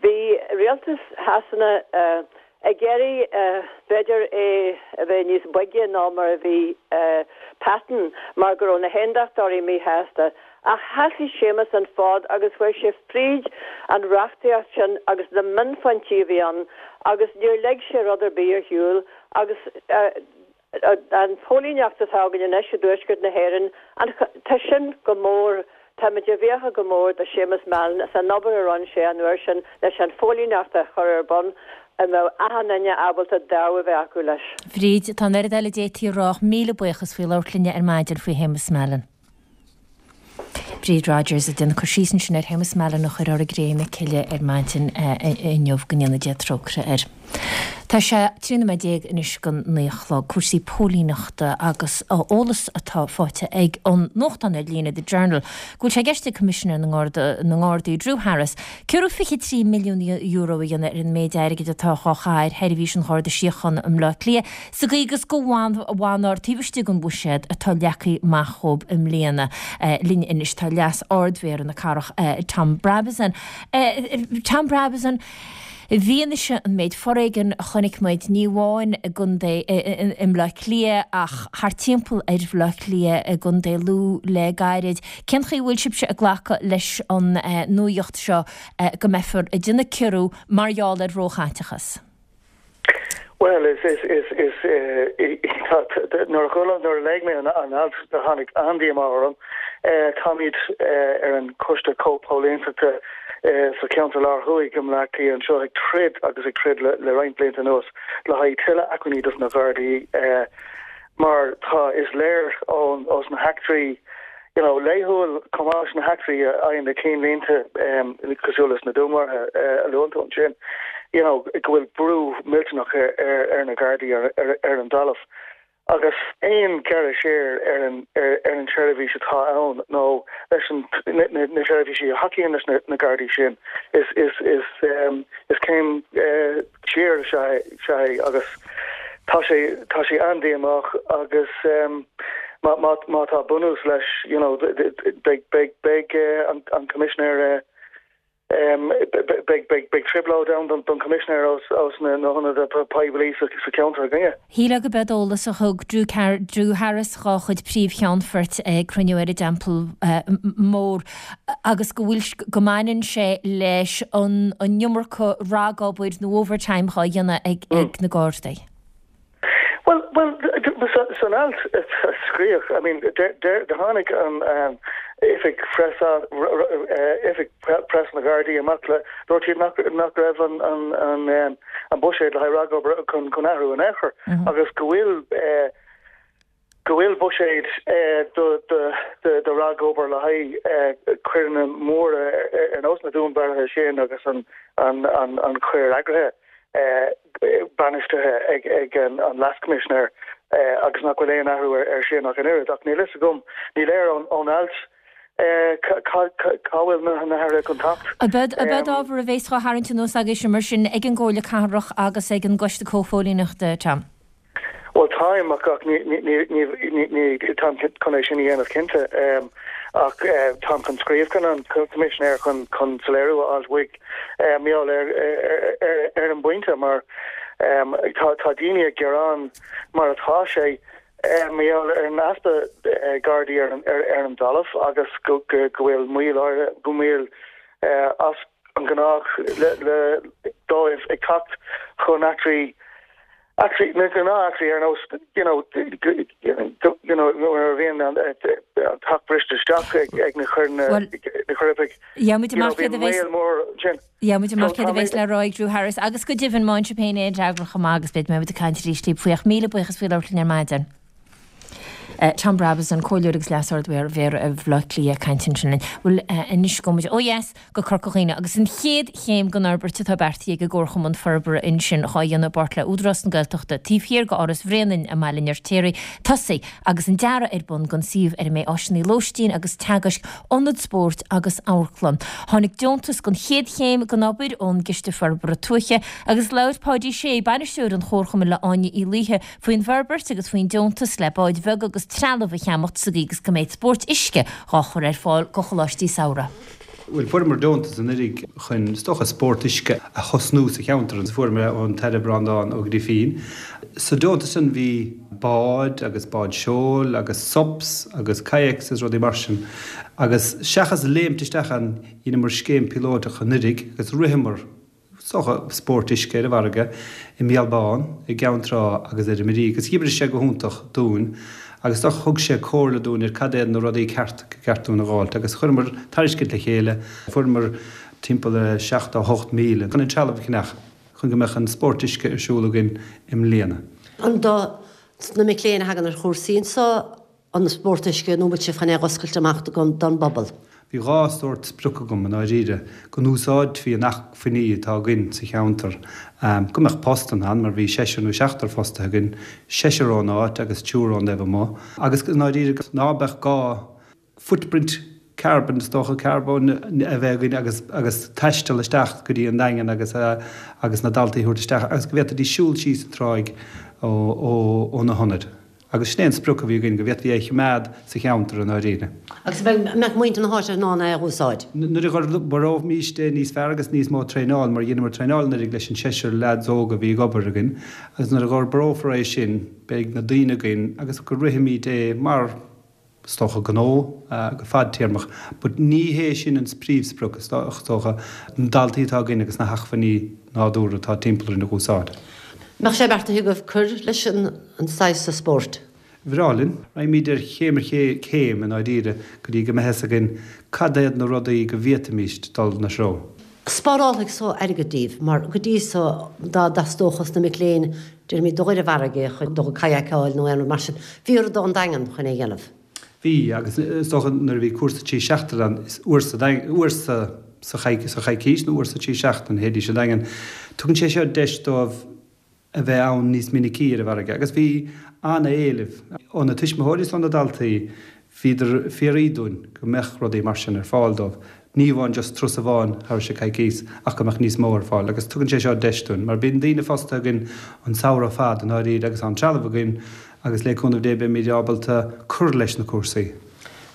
bhí rialtas Shasana ag iarraidh b'fhéidir é a bheith níos boige ná mar a bhí Patten mar go raibh na hAondachtóirí míshásta. Ach sheasaigh Séamus an fód agus chuir sé fríd an reachtaíocht sin agus na mionphointí a bhí ann agus níor lig sé rud ar bith ar shiúl agus an phóilíneacht atá againn anois i dtuaisceart na hÉireann, tá sin go mór, táimid i bhfiacha go mór do Séamus Mallon as an obair a rinne sé an uair sin leis an phóilíneacht a chur ar bun a mbeadh achan duine ábalta dáimh a bheith acu leis. Bhríd, tá an oiread eile a d'fhéadfaí a rá ach míle buíochas faoi labhairt linne ar maidin faoi Shéamus Mallon. Bríd Rodgers ag déanamh cur síos ansin ar Shéamus Mallon a chuir ár gcré na cille ar maidin inniu, go ndéana Dia trócaire air. Tá sé trí nóiméad déag anois go naoi a chlog. Cúrsaí póilíneachta agus eolas atá faighte ag an nuachtán ar líne The Journal go bhfuil sé i gceist ag Coimisinéir na nGardaí Drew Harris ciorrú fiche trí milliún euro a dhéanamh ar an méid airgid atá á chaitheamh ar sheirbhís an Gharda Síochána i mBleá Cliath sa gcaoi agus go bhfanfar taobh istigh den bhuiséad atá leagtha amach dhóibh i mbliana. Linn anois tá Leas-Ard-Mhéara na Cathrach Tom Brabazon. Tom Brabazon, I bhfianaise an méid foréigin a chonaic muid, ní amháin i gcontae i mBleá Cliath ach thart timpeall ar Bhleá Cliath i gcontae Lú le gairid, cén chaoi a bhfuil sibhse ag glacadh leis an nuaíocht seo go mbeifear ag déanamh ciorrú mar gheall ar róchaiteachas? Bhuel, is, is, is, is, nuair a chuala, nuair a léigh mé an alt, tháinig an-díomá orm. Táimid ar an Choiste Comhphóilíneachta sa cheantar Lár Thuaidh i mBleá Cliath anseo ag troid agus ag troid le roinnt blianta anuas le haghaidh tuilleadh acmhainní dos na Gardaí mar tá, is léir ón, ós na heachtraí, you know, laethúil chomh maith leis na heachtraí a fhaigheann na cinnlínte cosúil leis na dúnmharuithe a luann tú ansin, you know, go bhfuil brú millteanach ar, ar, ar na Gardaí ar, ar, ar an dtalamh. Agus aon gearradh siar ar an, ar, ar an tseirbhís atá ann nó leis an, na, na, na seirbhísí a thacaíonn leis na, na Gardaí sin, is, is, is, is céim siar is ea é agus tá sé, tá sé an-díomách agus má, má, má tá bunús leis, you know, beidh, beidh, beidh an, an Coimisinéir, beidh, beidh, beidh trioblóid ann don, don Choimisinéir ós, ós na, na hionadaithe poiblí sa, sa cheantar againne. Shílfeá go b'eod eolas a thug Drew, Drew Harris dhá chuid príomhcheannfoirt ag cruinniú ar an dTeampall Mór agus go bhfuil, go mbaineann sé leis an, an iomarca ragobair nó overtime dhá dhéanamh ag, ag na Gardaí. Bhuel, bhuel, san alt a scríobhadh, I mean, tháinig an oifig phreas, oifig preas na Gardaí amach le, dúirt siad nach, nach raibh an, an, an buiséad le haghaidh ragobair chun, chun athrú in aon chor agus go bhfuil, go bhfuil buiséad do, do, do, do ragobair le haghaidh coireanna móra ar nós na dúnmharuithe sin agus an, an, an, an choir eagraithe. bainistithe ag an Leas-Choimisinéir agus nach bhfuil aon athrú air sin ach an oiread. Ach níl fhios agam, ní léir ón alt cá bhfuil na hathruithe chun teacht. Ab eod ábhar a bhéas dhá tharraingt anuas agaibhse mar sin ag an gComhairle Cathrach agus ag an gCoiste Comhphóilíneachta, Tom? Bhuel, táim, ach ach ní, ní, ní, ní, ní, táim chun é sin a dhéanamh cinnte, ach táim chun scríobh chun an Coimisinéir chun, chun soiléiriú a fháilt uaidh, mar gheall ar, ar, ar an bpointe mar tá, tá daoine ag gearán mar atá sé, mar gheall ar an easpa Gardaí ar an, ar, ar an dtalamh agus go, go, go bhfuil moill áirithe, go moill as an ngnách le, le, dóibh ag teacht chun eachtraí Eachtraí, na gnáth-eachtraí ar nós, you know, you know, nuair a bhíonn an teach briste isteach ag na coirpigh, Gheobhaimid amach céard a bheas, gheobhaimid amach céard a bheas le rá ag Drew Harris agus go deimhin má fhaigheann sibh féin aon fhreagra chomh maith agus beidh muid ag caint arís libh faoi ach míle buíochas faoi labhairt linn ar maidin. Tom Brabazon, Comhairleoir agus Leas-Ard-Mhéara Bhaile Átha Cliath ag caint ansin linn. Bhuel, anois gabhfaidh muid ó dheas go Corca Dhuibhne agus an chéad chéim den fhorbairt atá beartaithe ag an gComharchumann Forbartha ansin dhá dhéanamh i bpáirt le Údarás na Gaeltachta taobh thiar de Áras Bhréanainn i mBaile an Fheirtéaraigh tosaithe agus an dearadh ar bun don suíomh ar a mbeidh áiseanna lóistín agus teagaisc, ionad spóirt agus amharclann. Tháinig deontas don chéad chéim den obair ón gCiste Forbartha Tuaithe agus labhair Páidí Sé, bainisteoir an Chomharchumainn le Áine Uí Laoithe, faoin bhforbairt agus faoin deontas le báid bheaga agus trealamh a cheannacht sa gcaoi agus go mbeidh spórt uisce dhá chur ar fáil go choláistí samhraidh. Bhuel, fuaireamar deontas anuraidh chun, is dócha, spórt uisce a thosnú sa cheantar agus fuaireamar é ón tAire Breandán Ó Grifín. Sa deontas sin bhí báid agus báid seoil agus SUPs agus kayaks agus rudaí mar sin agus seachas léimt isteach ann dheineamar scéim píolóideach anuraidh agus ritheamar is dócha, spórt uisce ar an bhfarraige i mBéal Bán, i gCeann Trá agus ar an Mhirí agus dh'oibrigh sé go hiontach dúinn agus is dócha thug sé comhairle dúinn ar cad iad na rudaí ceart go ceart dúinn a dh'fháilt agus chuireamar tairiscint le chéile, fuaireamar timpeall ar seachtó a hocht míle chun an trealamh a cheannach chun go mbeadh an spórt uisce ar siúl againn i mbliana. An do na mic léinn a thagann ar chúrsaí anseo an spórt uisce nó an bhfuil sibh chun é a dh'oscailt amach don bpobal? Bhí dhá sórt sprioc agam i ndáiríre, go n-úsáidfí na hacmhainní atá againn sa cheantar, go mbeadh postanna ann, mar bhí seisear nó seachtar fostaithe againn, seisear ón áit agus triúr ón dtaobh amuigh, agus i ndáiríre ná beadh gá footprint carbon, is dócha, carbóin a bheith againn agus agus taisteal isteach go dtí an Daingean agus agus na daltaí a thabhairt isteach agus go bhféadfaidís siúl síos an tráigh ó ó ó na hionaid. Agus sin é an sprioc a bhí againn, go bhféadfaí é a choimeád sa cheantar i ndáiríre. Agus an mbeadh muintir na háite in ann é a úsáid? Nuair a dh'fhorbróimíst é níos fearr agus níos mó traenáil, mar dheineamar traenáil anuraidh leis an seisear leaids óga a bhí ag obair againn, agus nuair a dh'fhorbrófar é sin beidh na daoine againn agus go rithfimid é mar, is dócha, gnó go fadtéarmach. But ní hé sin an príomhsprioc, is dócha, na daltaí atá againn agus na hacmhainní nádúrtha atá timpeall orainn a dh'úsáid. Mbeadh sé beartaithe agaibh cur leis an saghas seo spóirt? Bhreá linn. Raghaimid ar chéim ar chéim i ndáiríre go dtí go mbeidh fhios againn cad iad na rudaí go bhféadfaimíst dul ina threo. Spárálfaidh so airgead díbh, mar go dtí so dá dteastódh os na mic léinn, déarfaimid, dul ar an bhfarraige chun dul ag kayakáil nó aon rud mar sin, bhí orthu dul an Daingean chun é a dhéanamh. Bhí, agus is dócha nuair a bhí cúrsa trí seachtaine ann, is uair sa uair sa sa choicís nó uair sa trí seachtain théidís an Daingean. Tugann sé seo deis dóibh a bheith ann níos minicí ar an bhfarraige agus bhí an-éileamh ó na tuismitheoirí is ó na daltaí, bhíodar ag fiafraí dúinn go mbeadh rudaí mar sin ar fáil dóibh, ní amháin just turas amháin thairis an coicís ach go mbeadh níos mó ar fáil agus tugann sé seo deis dúinn mar bíonn daoine fostaithe againn an samhradh fad i ndáiríre agus tá an trealamh againn agus le cúnamh Dé beimid ábalta cur leis na cúrsaí.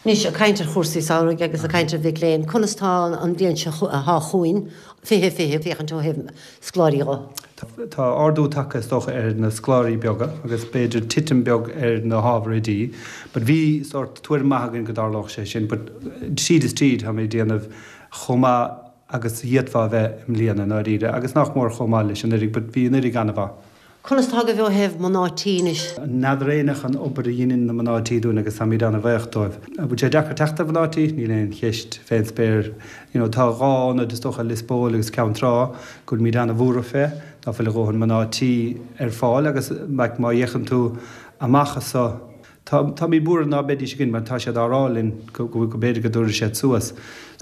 Anois, ag caint ar chúrsaí samhraidh agus ag caint ar mhic léinn, conas tá an bhliain seo atá chugainn, fiche fiche, féachaint ó thaobh scoláirí dho? Tá ardú tagtha is dócha ar na scoláirí beaga agus b'fhéidir titim beag ar na hábhair oidí but bhí sórt tuairim maith againn go dtarlódh sé sin but tríd is tríd táimid ag déanamh chomh maith agus a d'fhéadfá a bheith i mbliana i ndáiríre agus nach mór chomh maith leis anuraidh but bhí anuraidh an-mhaith. Conas tá agaibh ó thaobh mná tí anois? N'fheadar éinne an obair a dheineann na mná tí dúinn agus táimid an-bhaoch dóibh. An bhfuil sé deacair teacht ar mhná tí? Níl aon cheist fén spéir. You know, tá dhá ionad, is dócha, Lios Póil agus Ceann Trá, go bhfuilimid an-bhuartha fé, ná fuil a dhóthain mná tí ar fáil agus like má fhéachann tú amach as so, tá, táimid buartha ná beidís againn mar tá siad á rá linn go, go, go b'fhéidir go dtabharfaidh siad suas.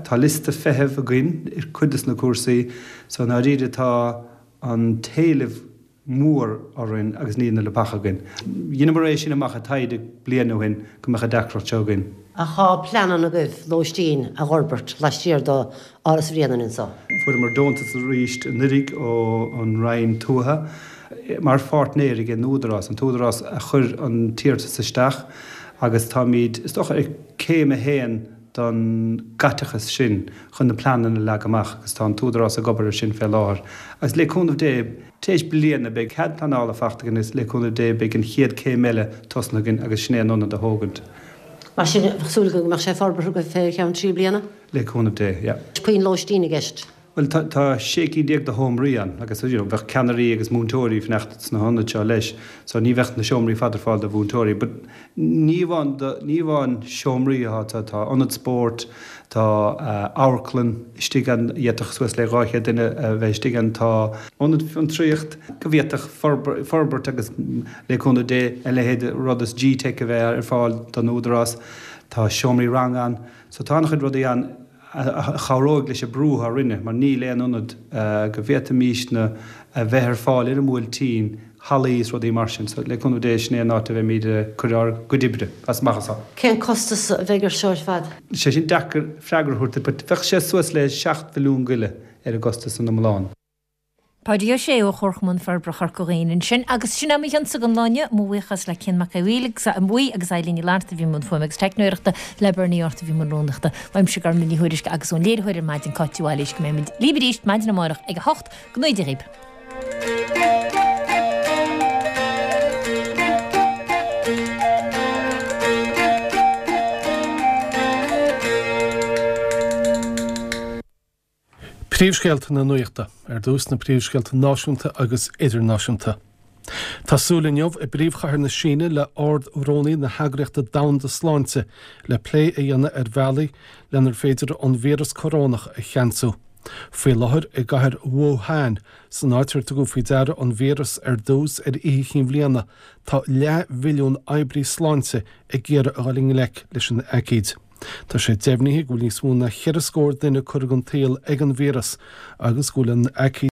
Tá liosta feithimh againn ar cuid des na cúrsaí so i ndáiríre tá an t-éileamh mór orainn agus níl na leapacha againn. Dheineamar é sin amach i taighde bliain ó shin go mbeadh an deacracht seo againn. Ach tá pleananna agaibh lóistín a dh'fhorbairt laistiar d'Áras Bhréanainn anso. Fuaireamar deontas arís anuraidh ón Roinn Tuaithe mar pháirtnéir ag an Údarás, an tÚdarás a chuir an t-iarratas isteach agus táimid, is dócha, ar céim a haon don gcaiteachas sin chun na pleananna a leagadh amach agus tá an tÚdarás ag obair ar sin fé láthair agus le cúnamh Dé tar éis bliana beidh cead pleanála fachta againn agus le cúnamh Dé beidh an chéad céim eile tosnaithe againn agus sin é an ionad a thógaint. Mar sin bheadh súil againn go mbeadh sé forbartha agaibh fé cheann trí bliana? Le cúnamh Dé, yeah. Puinn lóistín i gceist? Bhuel, tá, tá sé cinn déag de sheomraí ann agus, you know, bheadh ceannairí agus múinteoirí ag fanacht sna hionaid seo leis, so ní bheadh na seomraí fad ar fáil do mhúinteoirí. But ní amháin do, ní amháin seomraí atá, tá, tá ionad spóirt, tá amharclann istigh ann, d'fhéadfadh suas le dhá chéad duine a bheith istigh ann, tá ionad fiontraíocht go bhféadfadh forbairt agus le cúnamh Dé a leithéid de rud is G-Tech a bheith ar fáil don Údarás, tá seomraí ranga ann, so tá an-chuid rudaí ann. a chabhróidh leis an brú atá orainne, mar níl aon ionad go bhféadfaimísne a bheith ar fáil ar an mBuailtín, hallaí is rudaí mar sin. So, le cúnamh Dé, sin é an áit a bheimid ag cur ár gcuid oibre as amach anso. Cén costas a bheidh ar seo ar fad? Tá sé sin deacair freagra a thabhairt, but bheadh sé suas le seacht mhilliún go leith ar an gcostas san iomlán. Páidí Ó Sé ó Chomharchumann Forbartha Chorca Dhuibhne ansin agus sin é mo chionsa don lá inniu. Mo bhuíochas le Cian Mac Aodha Bhuí agus Eileen Ní Fhlatharta a bhí i mbun fuaime agus teicneoireachta, le Bernie Arthur a bhí i mbun rúnaíochta. Uaimse Gormfhlaith Ní Thuairisg agus ón léiritheoir ar maidin Cáit Uí Bhailís go mbeimid libh arís maidin amárach ag a hocht. Go ngnóthaí Dia dhaoib. Príomhscéalta na Nuachta, ar dtús na príomhscéalta náisiúnta agus idirnáisiúnta. Tá súil inniu i bpríomhchathair na Síne le Ard-Rúnaí na hEagraíochta Domhanda Sláinte le plé a dhéanamh ar bhealaí lenar féidir an víreas corónach a cheansú. Faoi láthair i gcathair Wuhan, san áit ar tugadh faoi deara an víreas ar dtús ar Oíche Chinn Bhliana, tá leathmhilliún oibrí sláinte ag iarraidh a dhul i ngleic leis an aicíd. Tá sé deimhnithe go bhfuil níos mó ná cheithre scór duine curtha den tsaol ag an víreas agus go bhfuil an aicíd